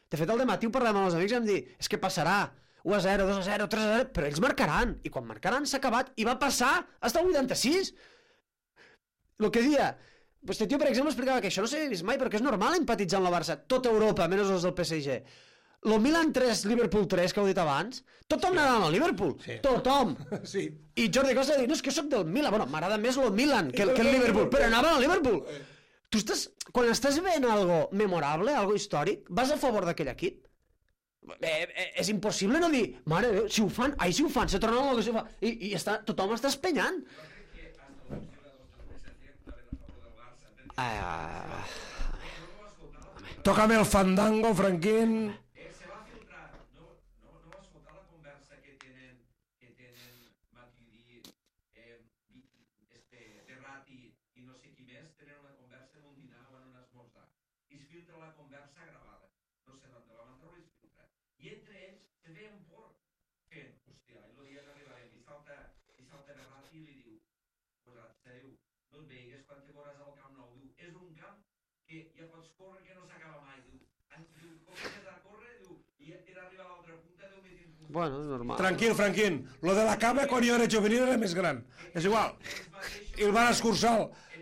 De fet, al dematí ho parlàvem amb els amics i vam dir, és que passarà, u a zero, dos a zero, tres a zero, però ells marcaran, i quan marcaran s'ha acabat, i va passar fins al vuitanta-sis. El que dia, este tio, per exemple, explicava que això no s'havia vist mai, però que és normal empatitzar amb la Barça, tota Europa, menys els del P S G. Lo Milan tres, Liverpool tres, que heu dit abans, tothom sí. anava al Liverpool, sí. tothom. Sí. I Jordi Costa va dir, no, és que jo soc del Milan, bueno, m'agrada més lo Milan que el, que el Liverpool, però anava al Liverpool. Tu estàs, quan estàs veient algo memorable, algo històric, vas a favor d'aquell equip? Eh, eh, és impossible no dir, mare de Déu, si ho fan, ai, si ho fan, se tornen a lo que se fa, i, i està, tothom està espenyant. Ah, Tócame el fandango, Franquín. Eh, se va filtrar, no, no, no va escoltar la conversa que tenen, que tenen Matuidi, eh, este, Berratti i no sé qui més, tenen una conversa en un dinar o en un esmorzar. I es filtra la conversa gravada. No sé d'on la van treure i es filtra. I entre ells se veien por fent, hòstia, i el dia que arribarem i salta, i salta Berratti i li diu, posat, se diu, no et veigues quan te veuràs al Camp Nou, diu, és un camp que ja pots córrer que no s'acaba mai, diu. Diu, comences a córrer, diu, i per arribar a l'altra punta, diu, més un punt. bueno, és normal. Tranquil, Franquín. Lo de la cama quan jo era juvenil era més gran. És igual. I el van escurçar.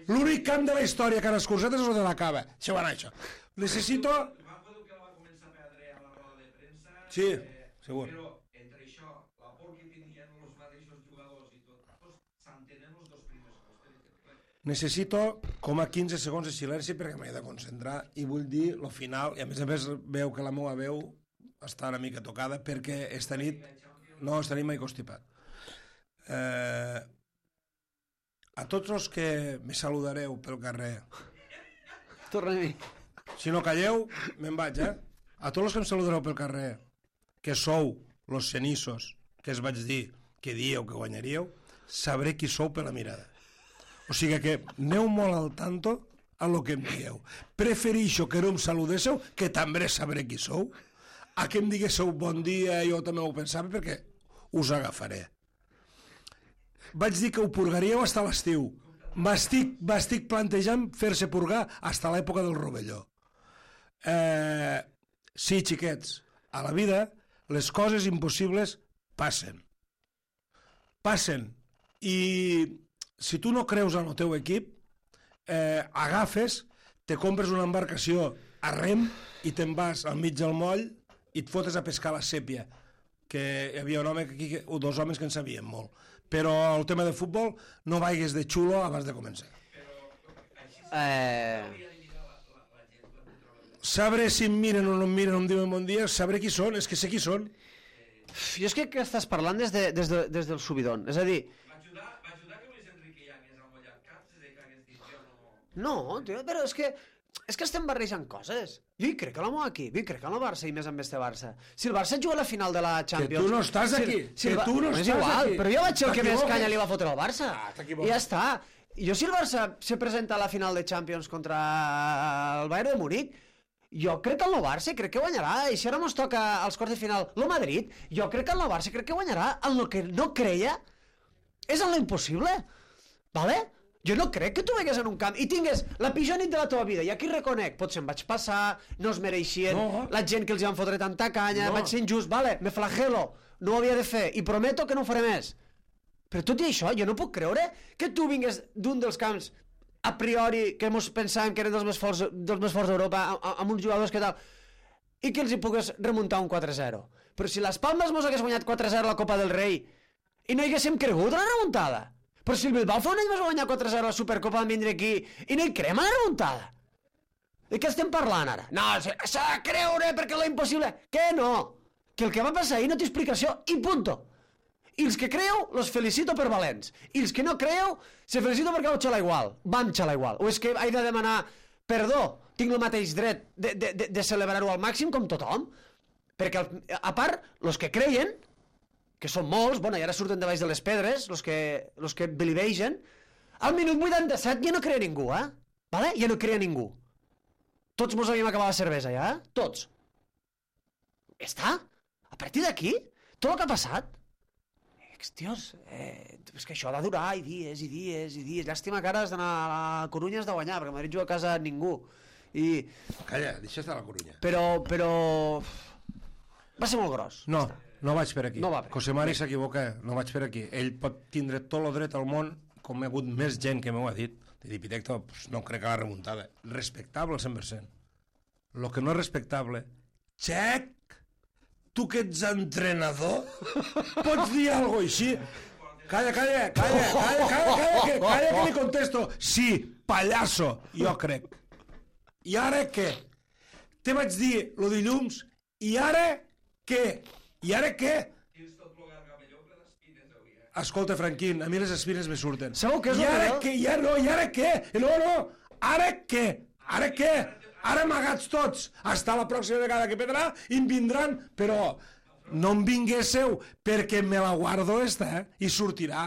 L'únic camp de la història que han escurçat és el de la cava. Això va anar, això. Necessito... Va poder que la va començar a perdre a la roda de premsa. Sí, eh, segur. Però entre això, la por que tenien els mateixos jugadors i tot, doncs s'entenen els dos primers gols, per exemple. Necessito com a quinze segons de silenci perquè m'he de concentrar i vull dir lo final, i a més a més veu que la meva veu està una mica tocada perquè esta nit no esta nit m'he constipat. Eh, a tots els que me saludareu pel carrer, Torna-hi. si no calleu, me'n vaig, eh? A tots els que em saludareu pel carrer, que sou los cenissos que es vaig dir que dieu que guanyaríeu, sabré qui sou per la mirada. O sigui que aneu molt al tanto a lo que em digueu. Preferixo que no em saludéssiu, que també sabré qui sou, a que em diguéssiu bon dia, jo també ho pensava, perquè us agafaré. Vaig dir que ho purgaríeu fins a l'estiu. M'estic, m'estic plantejant fer-se purgar fins a l'època del rovelló. Eh, sí, xiquets, a la vida les coses impossibles passen. Passen. I si tu no creus en el teu equip, eh, agafes, te compres una embarcació a rem i te'n vas al mig del moll i et fotes a pescar la sèpia, que hi havia un home aquí, o dos homes que en sabien molt. Però el tema de futbol no vaigues de xulo abans de començar. Eh... Sabré si em miren o no em miren o em diuen bon dia, sabré qui són, és que sé qui són. Jo és que, que estàs parlant des, de, des, de, des del subidon. És a dir... Va ajudar, va ajudar que Luis Enrique ja hagués amollat caps des de que hagués dit jo no... No, tio, però és que... És que estem barrejant coses. Jo hi crec a l'home aquí, jo hi crec en el Barça i més amb este Barça. Si el Barça juga a la final de la Champions... Que tu no estàs si, aquí, si que el, tu no és estàs igual, aquí. Però jo vaig ser el que més T'equivoques. canya li va fotre al Barça. Ah, I t'equivoques. ja està. Jo si el Barça se presenta a la final de Champions contra el Bayern de Múnich, jo crec que el nou Barça crec que guanyarà. I si ara ens toca als quarts de final el Madrid, jo crec que el nou Barça crec que guanyarà. En el que no creia és en l'impossible. Vale? Jo no crec que tu vegues en un camp i tingues la pitjor nit de la teva vida, i aquí reconec, potser em vaig passar, no es mereixien, No. la gent que els van fotre tanta canya, No. vaig ser injust, vale, me flagelo, no ho havia de fer, i prometo que no ho faré més. Però tot i això, jo no puc creure que tu vingues d'un dels camps a priori que mos pensàvem que eren dels més forts, dels més forts d'Europa, amb, amb uns jugadors que tal, i que els hi pugues remuntar un quatre zero. Però si les Palmes mos hagués guanyat quatre zero a la Copa del Rei i no hi haguéssim cregut en la remuntada, però si el Bilbao fa un any vas guanyar quatre zero a la Supercopa de vindre aquí i no hi creem en la remuntada. De què estem parlant ara? No, s'ha de creure perquè és impossible. Que no? Que el que va passar ahir no té explicació i punto. I els que creu, los felicito per valents. I els que no creu, se felicito perquè vau xalar igual. Vam xalar igual. O és que he de demanar perdó, tinc el mateix dret de, de, de, de celebrar-ho al màxim com tothom. Perquè, a part, los que creien, que són molts, bueno, i ara surten de baix de les pedres, los que, los que belivegen, al minut vuitanta-set ja no creia ningú, eh? Vale? Ja no creia ningú. Tots mos havíem acabat la cervesa, ja, eh? Tots. Ja està. A partir d'aquí, tot el que ha passat, tios, eh, és que això ha de durar i dies, i dies, i dies. Llàstima que ara has d'anar a la Corunya, has de guanyar, perquè a Madrid juga a casa ningú. I... Calla, deixa estar a la Corunya. Però, però... Va ser molt gros. No, no vaig per aquí. No va bé. José Mari s'equivoca, no vaig per aquí. Ell pot tindre tot el dret al món, com hi ha hagut més gent que m'ho ha dit, de dir, Pitecto, pues no crec que la remuntada. Respectable al cent per cent. Lo que no és respectable, xec, tu que ets entrenador, pots dir alguna cosa així? Calla, calla, calla, calla, calla, calla, que, calla que li contesto. Sí, pallasso, jo crec. I ara què? Te vaig dir lo dilluns, i ara què? I ara què? Tens tot el gargamelló ple d'espines avui, eh? Escolta, Franquín, a mi les espines me surten. Sabeu què és I el ara millor? què? I ara no, i ara què? No, no, ara què? Ara què? Ara amagats tots. Hasta la pròxima vegada que pedrà i em vindran, però no em vinguéssiu perquè me la guardo esta, eh? I sortirà.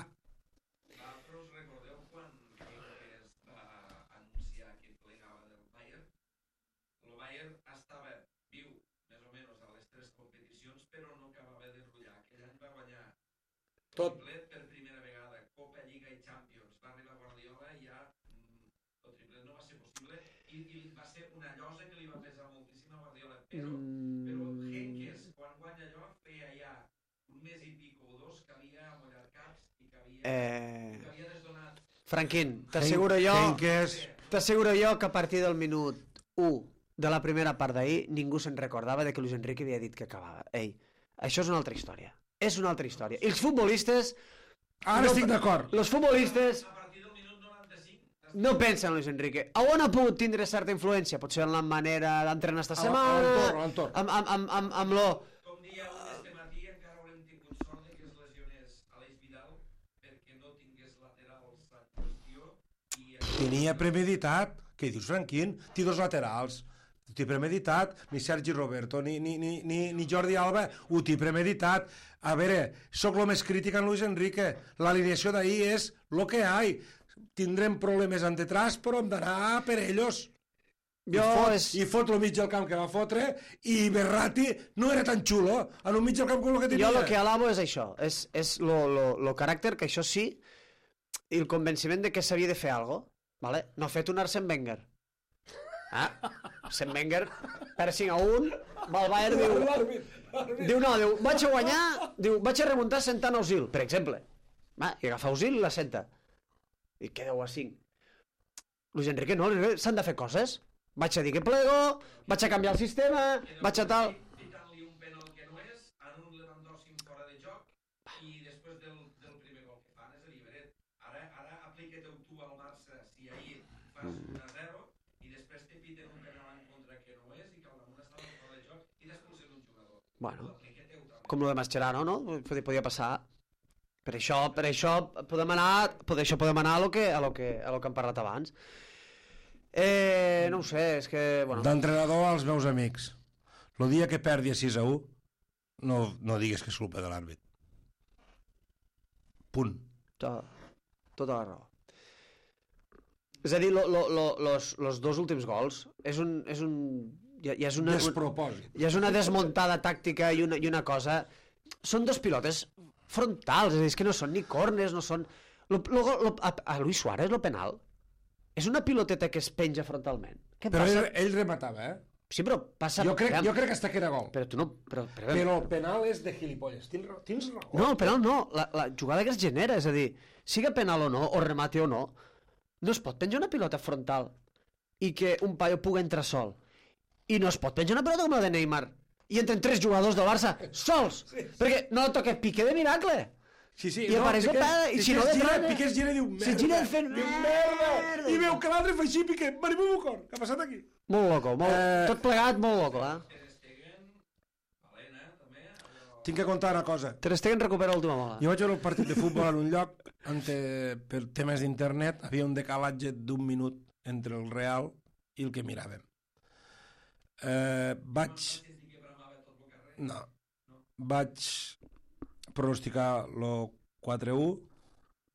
Vosaltres recordeu quan es va anunciar que plegava del Bayern? El Bayern estava viu més o menys a les tres competicions, però no acabava de rullar. Aquell any va guanyar Tot. triplet per primera vegada, Copa, Lliga i Champions. Va arribar Guardiola i ja mm, el triplet no va ser possible i, i va ser una llosa que li va pesar moltíssim a Guardiola. Però, però Henkes, quan guanya allò, feia ja un mes i pico o dos que havia amollat caps i que havia, Eh... que havia desdonat. Franquín, t'asseguro jo... Henkes. T'asseguro jo que a partir del minut u de la primera part d'ahir ningú se'n recordava de que Luis Enrique havia dit que acabava. Ei, això és una altra història. És una altra història. I els futbolistes... Ara no, estic d'acord. Els futbolistes A partir del minut noranta-cinc no pensen en Luis Enrique. A on ha pogut tindre certa influència? Potser en la manera d'entrenar esta A- a setmana... l'entorn, a l'entorn. Amb, amb, amb, amb, amb, lo, tenia premeditat. Què dius, Franquín? Té dos laterals. Ho té premeditat. Ni Sergi Roberto, ni, ni, ni, ni, ni Jordi Alba ho té premeditat. A veure, sóc el més crític en Luis Enrique. L'alineació d'ahir és lo que hi ha. Tindrem problemes en detrás, però hem d'anar per ells. I Jo fot, és... i fot el mig del camp que va fotre, i Berratti no era tan xulo en un mig del camp com el que tenia. Jo el que alabo és això, és, és lo, lo, lo caràcter, que això sí, i el convenciment de que s'havia de fer alguna cosa, vale? No ha fet un Arsène Wenger. Ah, Arsène Wenger, per cinc a un, va al Bayern, diu, diu, no, diu, vaig a guanyar, diu, vaig a remuntar sentant Özil, per exemple. Va, i agafa Özil i la senta. I quedeu a cinc. Luis Enrique no, s'han de fer coses. Vaig a dir que plego, vaig a canviar el sistema, vaig a tal... Pitant-li un penal que no és, en un Lewandowski fora de joc i després del, del primer gol que fan, és a dir, Beret, ara, ara aplica-te-ho tu al Barça si ahir fas un a zero i després te piten un penal en contra que no és i que al damunt estava fora de joc i t'expulsen un jugador. Bueno, com lo de Mascherano, no? Podia, podia passar. Per això, per això podem anar, per això podem anar a lo que, a lo que, a lo que hem parlat abans. Eh, no ho sé, és que... Bueno. D'entrenador als meus amics. El dia que perdi a sis a u, no, no digues que és culpa de l'àrbit. Punt. Tota, tota la raó. És a dir, lo, lo, lo, los, los dos últims gols és un... És un ja, ja és una, Despropòsit. ja és una desmuntada tàctica i una, i una cosa... Són dos pilotes frontals, és a dir, és que no són ni corners, no són... Lo, lo, lo, a, a Luis Suárez, lo penal, és una piloteta que es penja frontalment. Què Però passa? ell, ell rematava, eh? Sí, però passa... Jo crec, Aviam, jo crec que hasta que era gol. Però tu no... Però, però, Però el penal és de gilipolles. Tens raó. Tens raó. No, el penal no. La, la jugada que es genera, és a dir, siga penal o no, o remate o no, no es pot penjar una pilota frontal i que un paio pugui entrar sol. I no es pot penjar una pilota com la de Neymar i entren tres jugadors del Barça sols, sí, sí. Perquè no toca Piqué de miracle. Sí, sí, I apareix el pare, i si no de gira, trona... Piqué es gira i diu merda. Si gira fent diu, merda. I veu que l'altre fa així, Piqué, venim un cor. Què ha passat aquí? Molt loco, molt... Eh... tot plegat molt loco, eh? Tinc que contar una cosa. Ter Stegen recupera l'última bola. Jo vaig veure el partit de futbol en un lloc on per temes d'internet havia un decalatge d'un minut entre el Real i el que miràvem. Eh, vaig... No. Vaig pronosticar el quatre a u,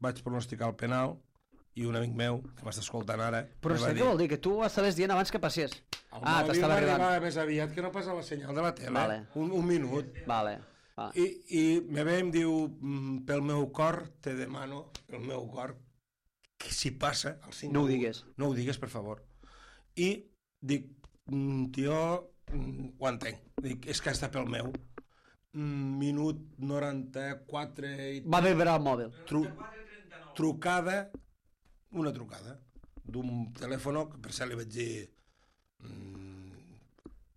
vaig pronosticar el penal i un amic meu, que m'està escoltant ara... Però sé què vol dir? Que tu ho estaves dient abans que passés. Ah, t'estava arribant. Més aviat que no passa la senyal de la tele. Vale. Un, un minut. Vale. Ah. I, i me ve i em diu, pel meu cor, te demano, pel meu cor, que si passa el cinc... No ho digues. No ho digues, per favor. I dic, tio, ho entenc. Dic, és que està pel meu. Minut noranta-quatre... I... Va vibrar el mòbil. Tru... Trucada, una trucada, d'un telèfon que per cert li vaig dir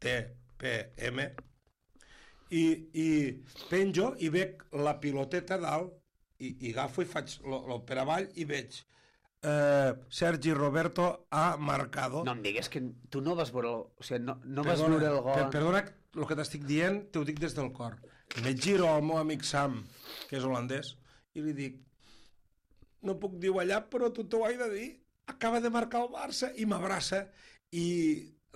T P M, i, i penjo i veig la piloteta dalt i, i agafo i faig el per avall i veig eh, Sergi Roberto ha marcado. No em digues que tu no vas veure el, o sigui, no, no vas Perdona, veure el gol. per, perdona, el que t'estic dient t'ho dic des del cor. Me giro al meu amic Sam, que és holandès, i li dic, no puc dir allà, però tu t'ho he de dir, acaba de marcar el Barça, i m'abraça, i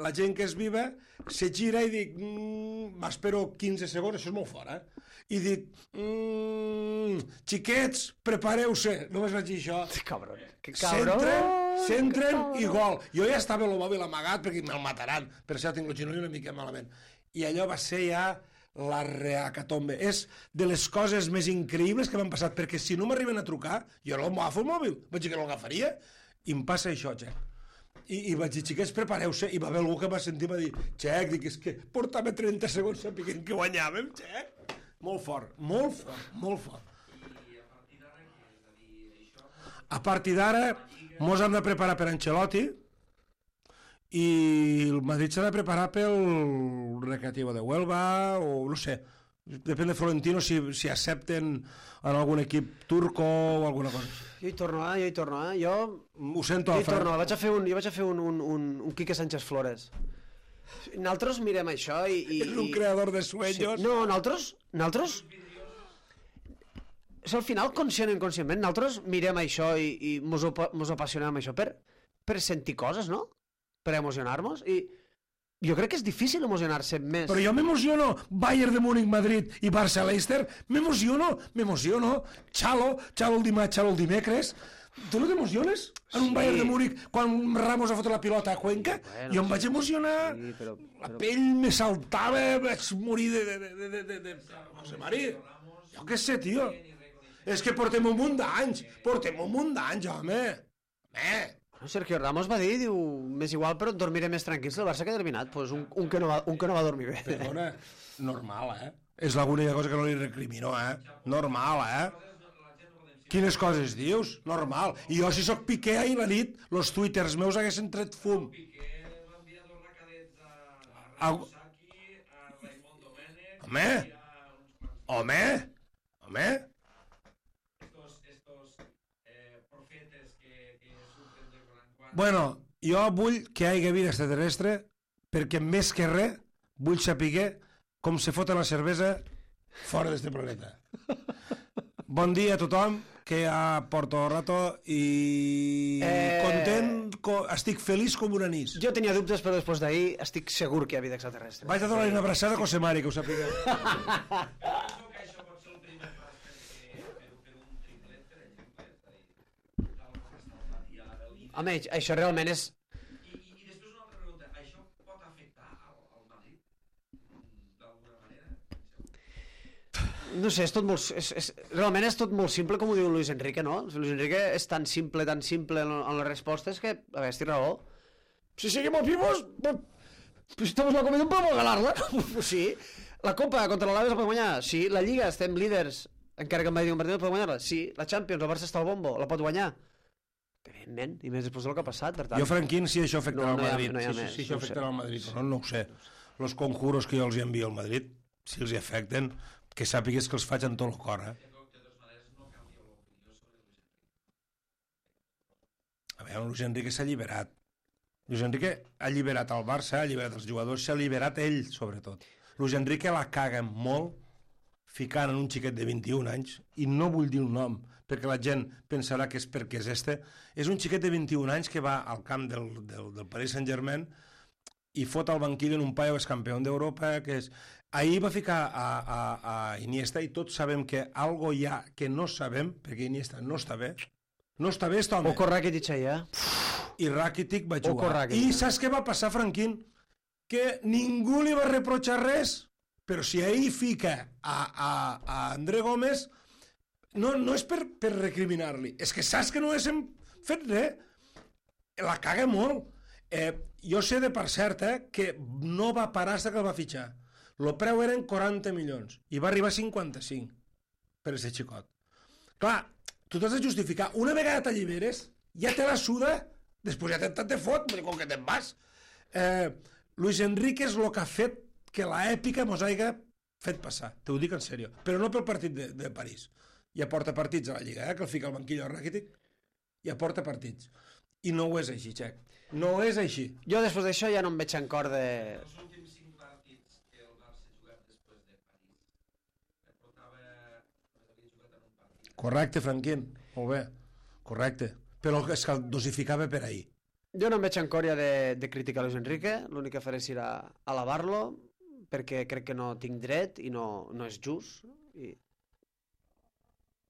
la gent que és viva se gira i dic, mmm, m'espero quinze segons, això és molt fort, eh? I dic, mmm, xiquets, prepareu-se, només vaig dir això. Cabron, que cabron. Centren, centren i gol. Jo ja estava el mòbil amagat perquè me'l mataran, per això tinc el genoll una mica malament. I allò va ser ja la reacatombe. És de les coses més increïbles que m'han passat, perquè si no m'arriben a trucar, jo no m'agafo el mòbil, vaig dir que no l'agafaria, i em passa això, Xec. I, i vaig dir, xiquets, prepareu-se, i va haver algú que va sentir i va dir, Xec, dic, és que portava trenta segons sapiguent que guanyàvem, Xec. Molt fort, molt fort, molt fort. A partir d'ara, mos hem de preparar per Ancelotti, i el Madrid s'ha de preparar pel Recreativo de Huelva, o no sé, depèn de Florentino si, si accepten en algun equip turco o alguna cosa. Jo hi torno, eh? Jo hi torno, eh? Jo... Ho sento, jo hi torno, vaig a fer un, jo vaig a fer un, un, un, un Quique Sánchez Flores. Nosaltres mirem això i... i és un creador de sueños. Sí. No, nosaltres... Nosaltres... És al final, conscient o inconscientment, nosaltres mirem això i, i mos, mos apassionem amb això per, per sentir coses, no? Per emocionar-nos. I jo crec que és difícil emocionar-se més. Però jo m'emociono. Bayern de Múnich, Madrid i Barça, Leicester. M'emociono, m'emociono. Xalo, xalo el dimarts, xalo el dimecres. Tu no t'emociones? En un Sí. Bayern de Múnich, quan Ramos ha fotut la pilota a Cuenca, Bueno, jo em vaig emocionar. Sí, però, La però... pell me saltava, vaig morir de... de, de, de, de, de... José Mari, jo què sé, tio. És que portem un munt d'anys, portem un munt d'anys, home. Home. No, Sergio Ramos va dir, diu, m'és igual, però dormiré més tranquil si el Barça queda eliminat. Pues un, un, que no va, un que no va dormir bé. Perdona, normal, eh? És l'única cosa que no li recrimino, eh? Normal, eh? Quines coses dius? Normal. I jo, si sóc Piqué ahir la nit, els twitters meus haguessin tret fum. Au... Home! Home! Home! Bueno, jo vull que hi hagi vida extraterrestre perquè més que res vull saber com se fota la cervesa fora d'este planeta. Bon dia a tothom, que ja porto rato i Eh, content, co estic feliç com un anís. Jo tenia dubtes, però després d'ahir estic segur que hi ha vida extraterrestre. Vaig a donar una abraçada a José Mari, que ho sapigueu. Home, això realment és... I, i, i després una altra pregunta, això pot afectar al, al Madrid? D'alguna manera? No sé, és tot molt... És, és, realment és tot molt simple, com ho diu Luis Enrique, no? Luis Enrique és tan simple, tan simple en, en les respostes que, a veure, estic raó. Si seguimos vivos, pues, pues estamos la comida, podemos ganarla. Pues sí. La Copa contra l'Alaves la podem guanyar. Sí. La Lliga, estem líders, encara que em va dir un partit, podem guanyar-la. Sí. La Champions, el Barça està al bombo, la pot guanyar. Evidentment, i més després del que ha passat, per tant... Jo, Franquín, si això afectarà No, al no hi ha- Madrid. no hi ha sí, més, sí, sí, això no ho sé. afectarà al Madrid, però no, no ho sé. Los conjuros que jo els envio al Madrid, si els hi afecten, que sàpigues que els faig amb tot el cor, eh? A veure, Luis Enrique s'ha alliberat. Luis Enrique ha alliberat el Barça, ha alliberat els jugadors, s'ha alliberat ell, sobretot. Luis Enrique la caga molt ficant en un xiquet de vint-i-un anys, i no vull dir un nom, perquè la gent pensarà que és perquè és este. És un xiquet de vint-i-un anys que va al camp del, del, del Paris Saint-Germain i fot al banquillo en un paio que és campió d'Europa, que és... Ahir va ficar a, a, a Iniesta i tots sabem que algo hi ha que no sabem, perquè Iniesta no està bé. No està bé, este home. Oco Rakitic allà. I Rakitic va Oco jugar. Rakitic. I saps què va passar, Franquín? Que ningú li va reprochar res, però si ahir fica a, a, a André Gómez, no, no és per, per recriminar-li, és que saps que no hem fet res. La caga molt. Eh, jo sé de per cert eh, que no va parar fins que el va fitxar. El preu eren quaranta milions i va arribar a cinquanta-cinc per aquest xicot. Clar, tu t'has de justificar. Una vegada t'alliberes, ja te la suda, després ja te, te fot, com que te'n vas. Eh, Luis Enrique és el que ha fet que l'èpica mos hagi fet passar, t'ho dic en sèrio, però no pel partit de, de París. Ja porta partits a la Lliga, eh, que el fica al banquillo de Rakitic, ja porta partits. I no ho és així, Xec. No és així. Jo després d'això ja no em veig en cor de... Els últims cinc partits que el Barça ha jugat després de París, el portava... havia jugat en un partit. Correcte, Franquín. Molt bé. Correcte. Però és que el dosificava per ahir. Jo no em veig en cor ja de, de criticar Luis Enrique, l'únic que faré serà alabar-lo, perquè crec que no tinc dret i no, no és just, i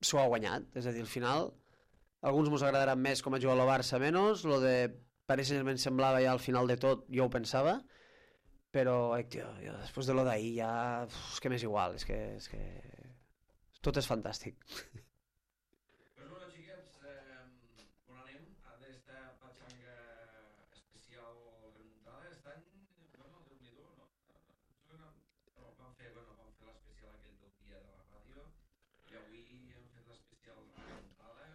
s'ho ha guanyat, és a dir, al final alguns mos agradaran més com a jugar el Barça menys, lo de Paris Saint-Germain semblava ja al final de tot, jo ho pensava, però eh, tio, jo, després de lo d'ahir ja uf, és que m'és igual, és que, és que tot és fantàstic. Pues bueno, xiquets, eh, on anem? A d'esta patxanga especial remuntada, estan... Bueno, Déu-n'hi-do, no? No, van fer, bueno, van fer l'especial aquell del dia de la ràdio i avui hem fet l'especial remuntada.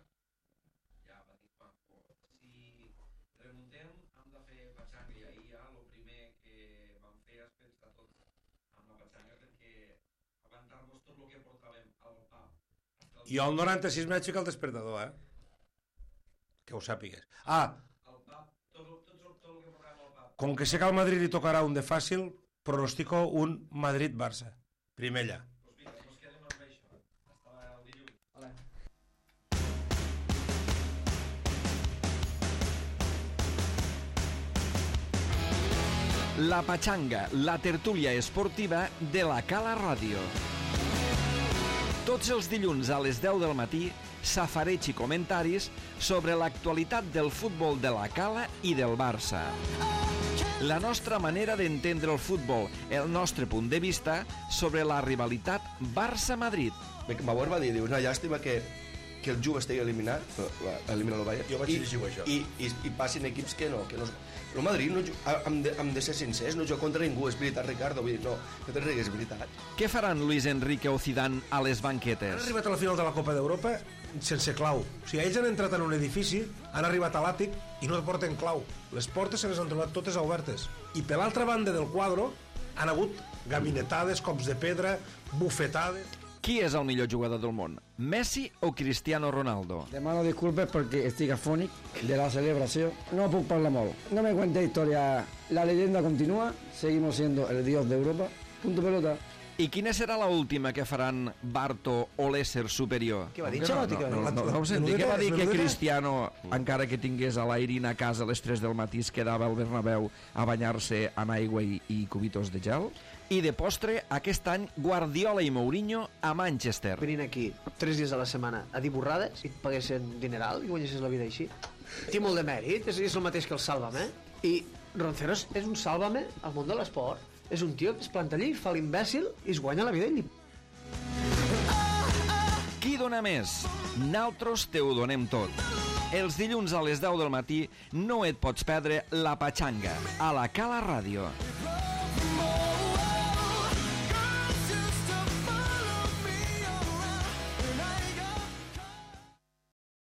Ja va dir Paco, si remuntem hem de fer patxanga i ahir ja el primer que vam fer és pensar tots amb la patxanga perquè aguantar-nos tot el que portàvem al pub. Jo al noranta-sis m'he aixecat el despertador, eh? Que ho sàpigues. Ah, El pub, tot, tot, tot, tot el que portàvem al pub. com que sé que al Madrid li tocarà un de fàcil, pronostico un Madrid-Barça. Primer allà. Pues vinga, pues quedem amb això. Hasta el dilluns. Vale. La Patxanga, la tertúlia esportiva de la Cala Ràdio. Tots els dilluns a les deu del matí, safareig i comentaris sobre l'actualitat del futbol de la Cala i del Barça. La nostra manera d'entendre el futbol, el nostre punt de vista sobre la rivalitat Barça-Madrid. Bauer va dir, diu, una llàstima que, que el Juve estigui eliminat, elimina el Bayern, Jo vaig i, llegir això. i, i, i passin equips que no, que no... El Madrid, no, hem, de, hem de ser sincers, no juga contra ningú, és veritat, Ricardo, vull dir, no, no te rigues, és veritat. Què faran Luis Enrique o Zidane a les Han banquetes? arribat a la final de la Copa d'Europa sense clau. O sigui, ells han entrat en un edifici, han arribat a l'àtic i no porten clau. Les portes se les han trobat totes obertes. I per l'altra banda del quadre han hagut gabinetades, cops de pedra, bufetades... Qui és el millor jugador del món? Messi o Cristiano Ronaldo? Demano disculpes perquè estic afònic de la celebració. No puc parlar molt. No me cuente historia. La leyenda continúa. Seguimos siendo el dios de Europa. Punto pelota. I quina serà la última que faran Barto o l'ésser superior? Què va dir, No, Xalotti? no, que no, va dir? no, No, no ho senti, què va dir que Menudeta? Cristiano, encara que tingués a l'Airin a casa a les tres del matí, es quedava al Bernabéu a banyar-se en aigua i, i cubitos de gel? I de postre, aquest any, Guardiola i Mourinho a Manchester. Venint aquí tres dies a la setmana a dir borrades i et paguessin dineral i guanyessis la vida així. Té molt de mèrit, és, és el mateix que el Sálvame. I Ronceros és un Sálvame al món de l'esport. És un tio que es planta allí, fa l'imbècil i es guanya la vida ell. Qui dona més? Naltros te ho donem tot. Els dilluns a les deu del matí no et pots perdre La Patxanga a la Cala Ràdio.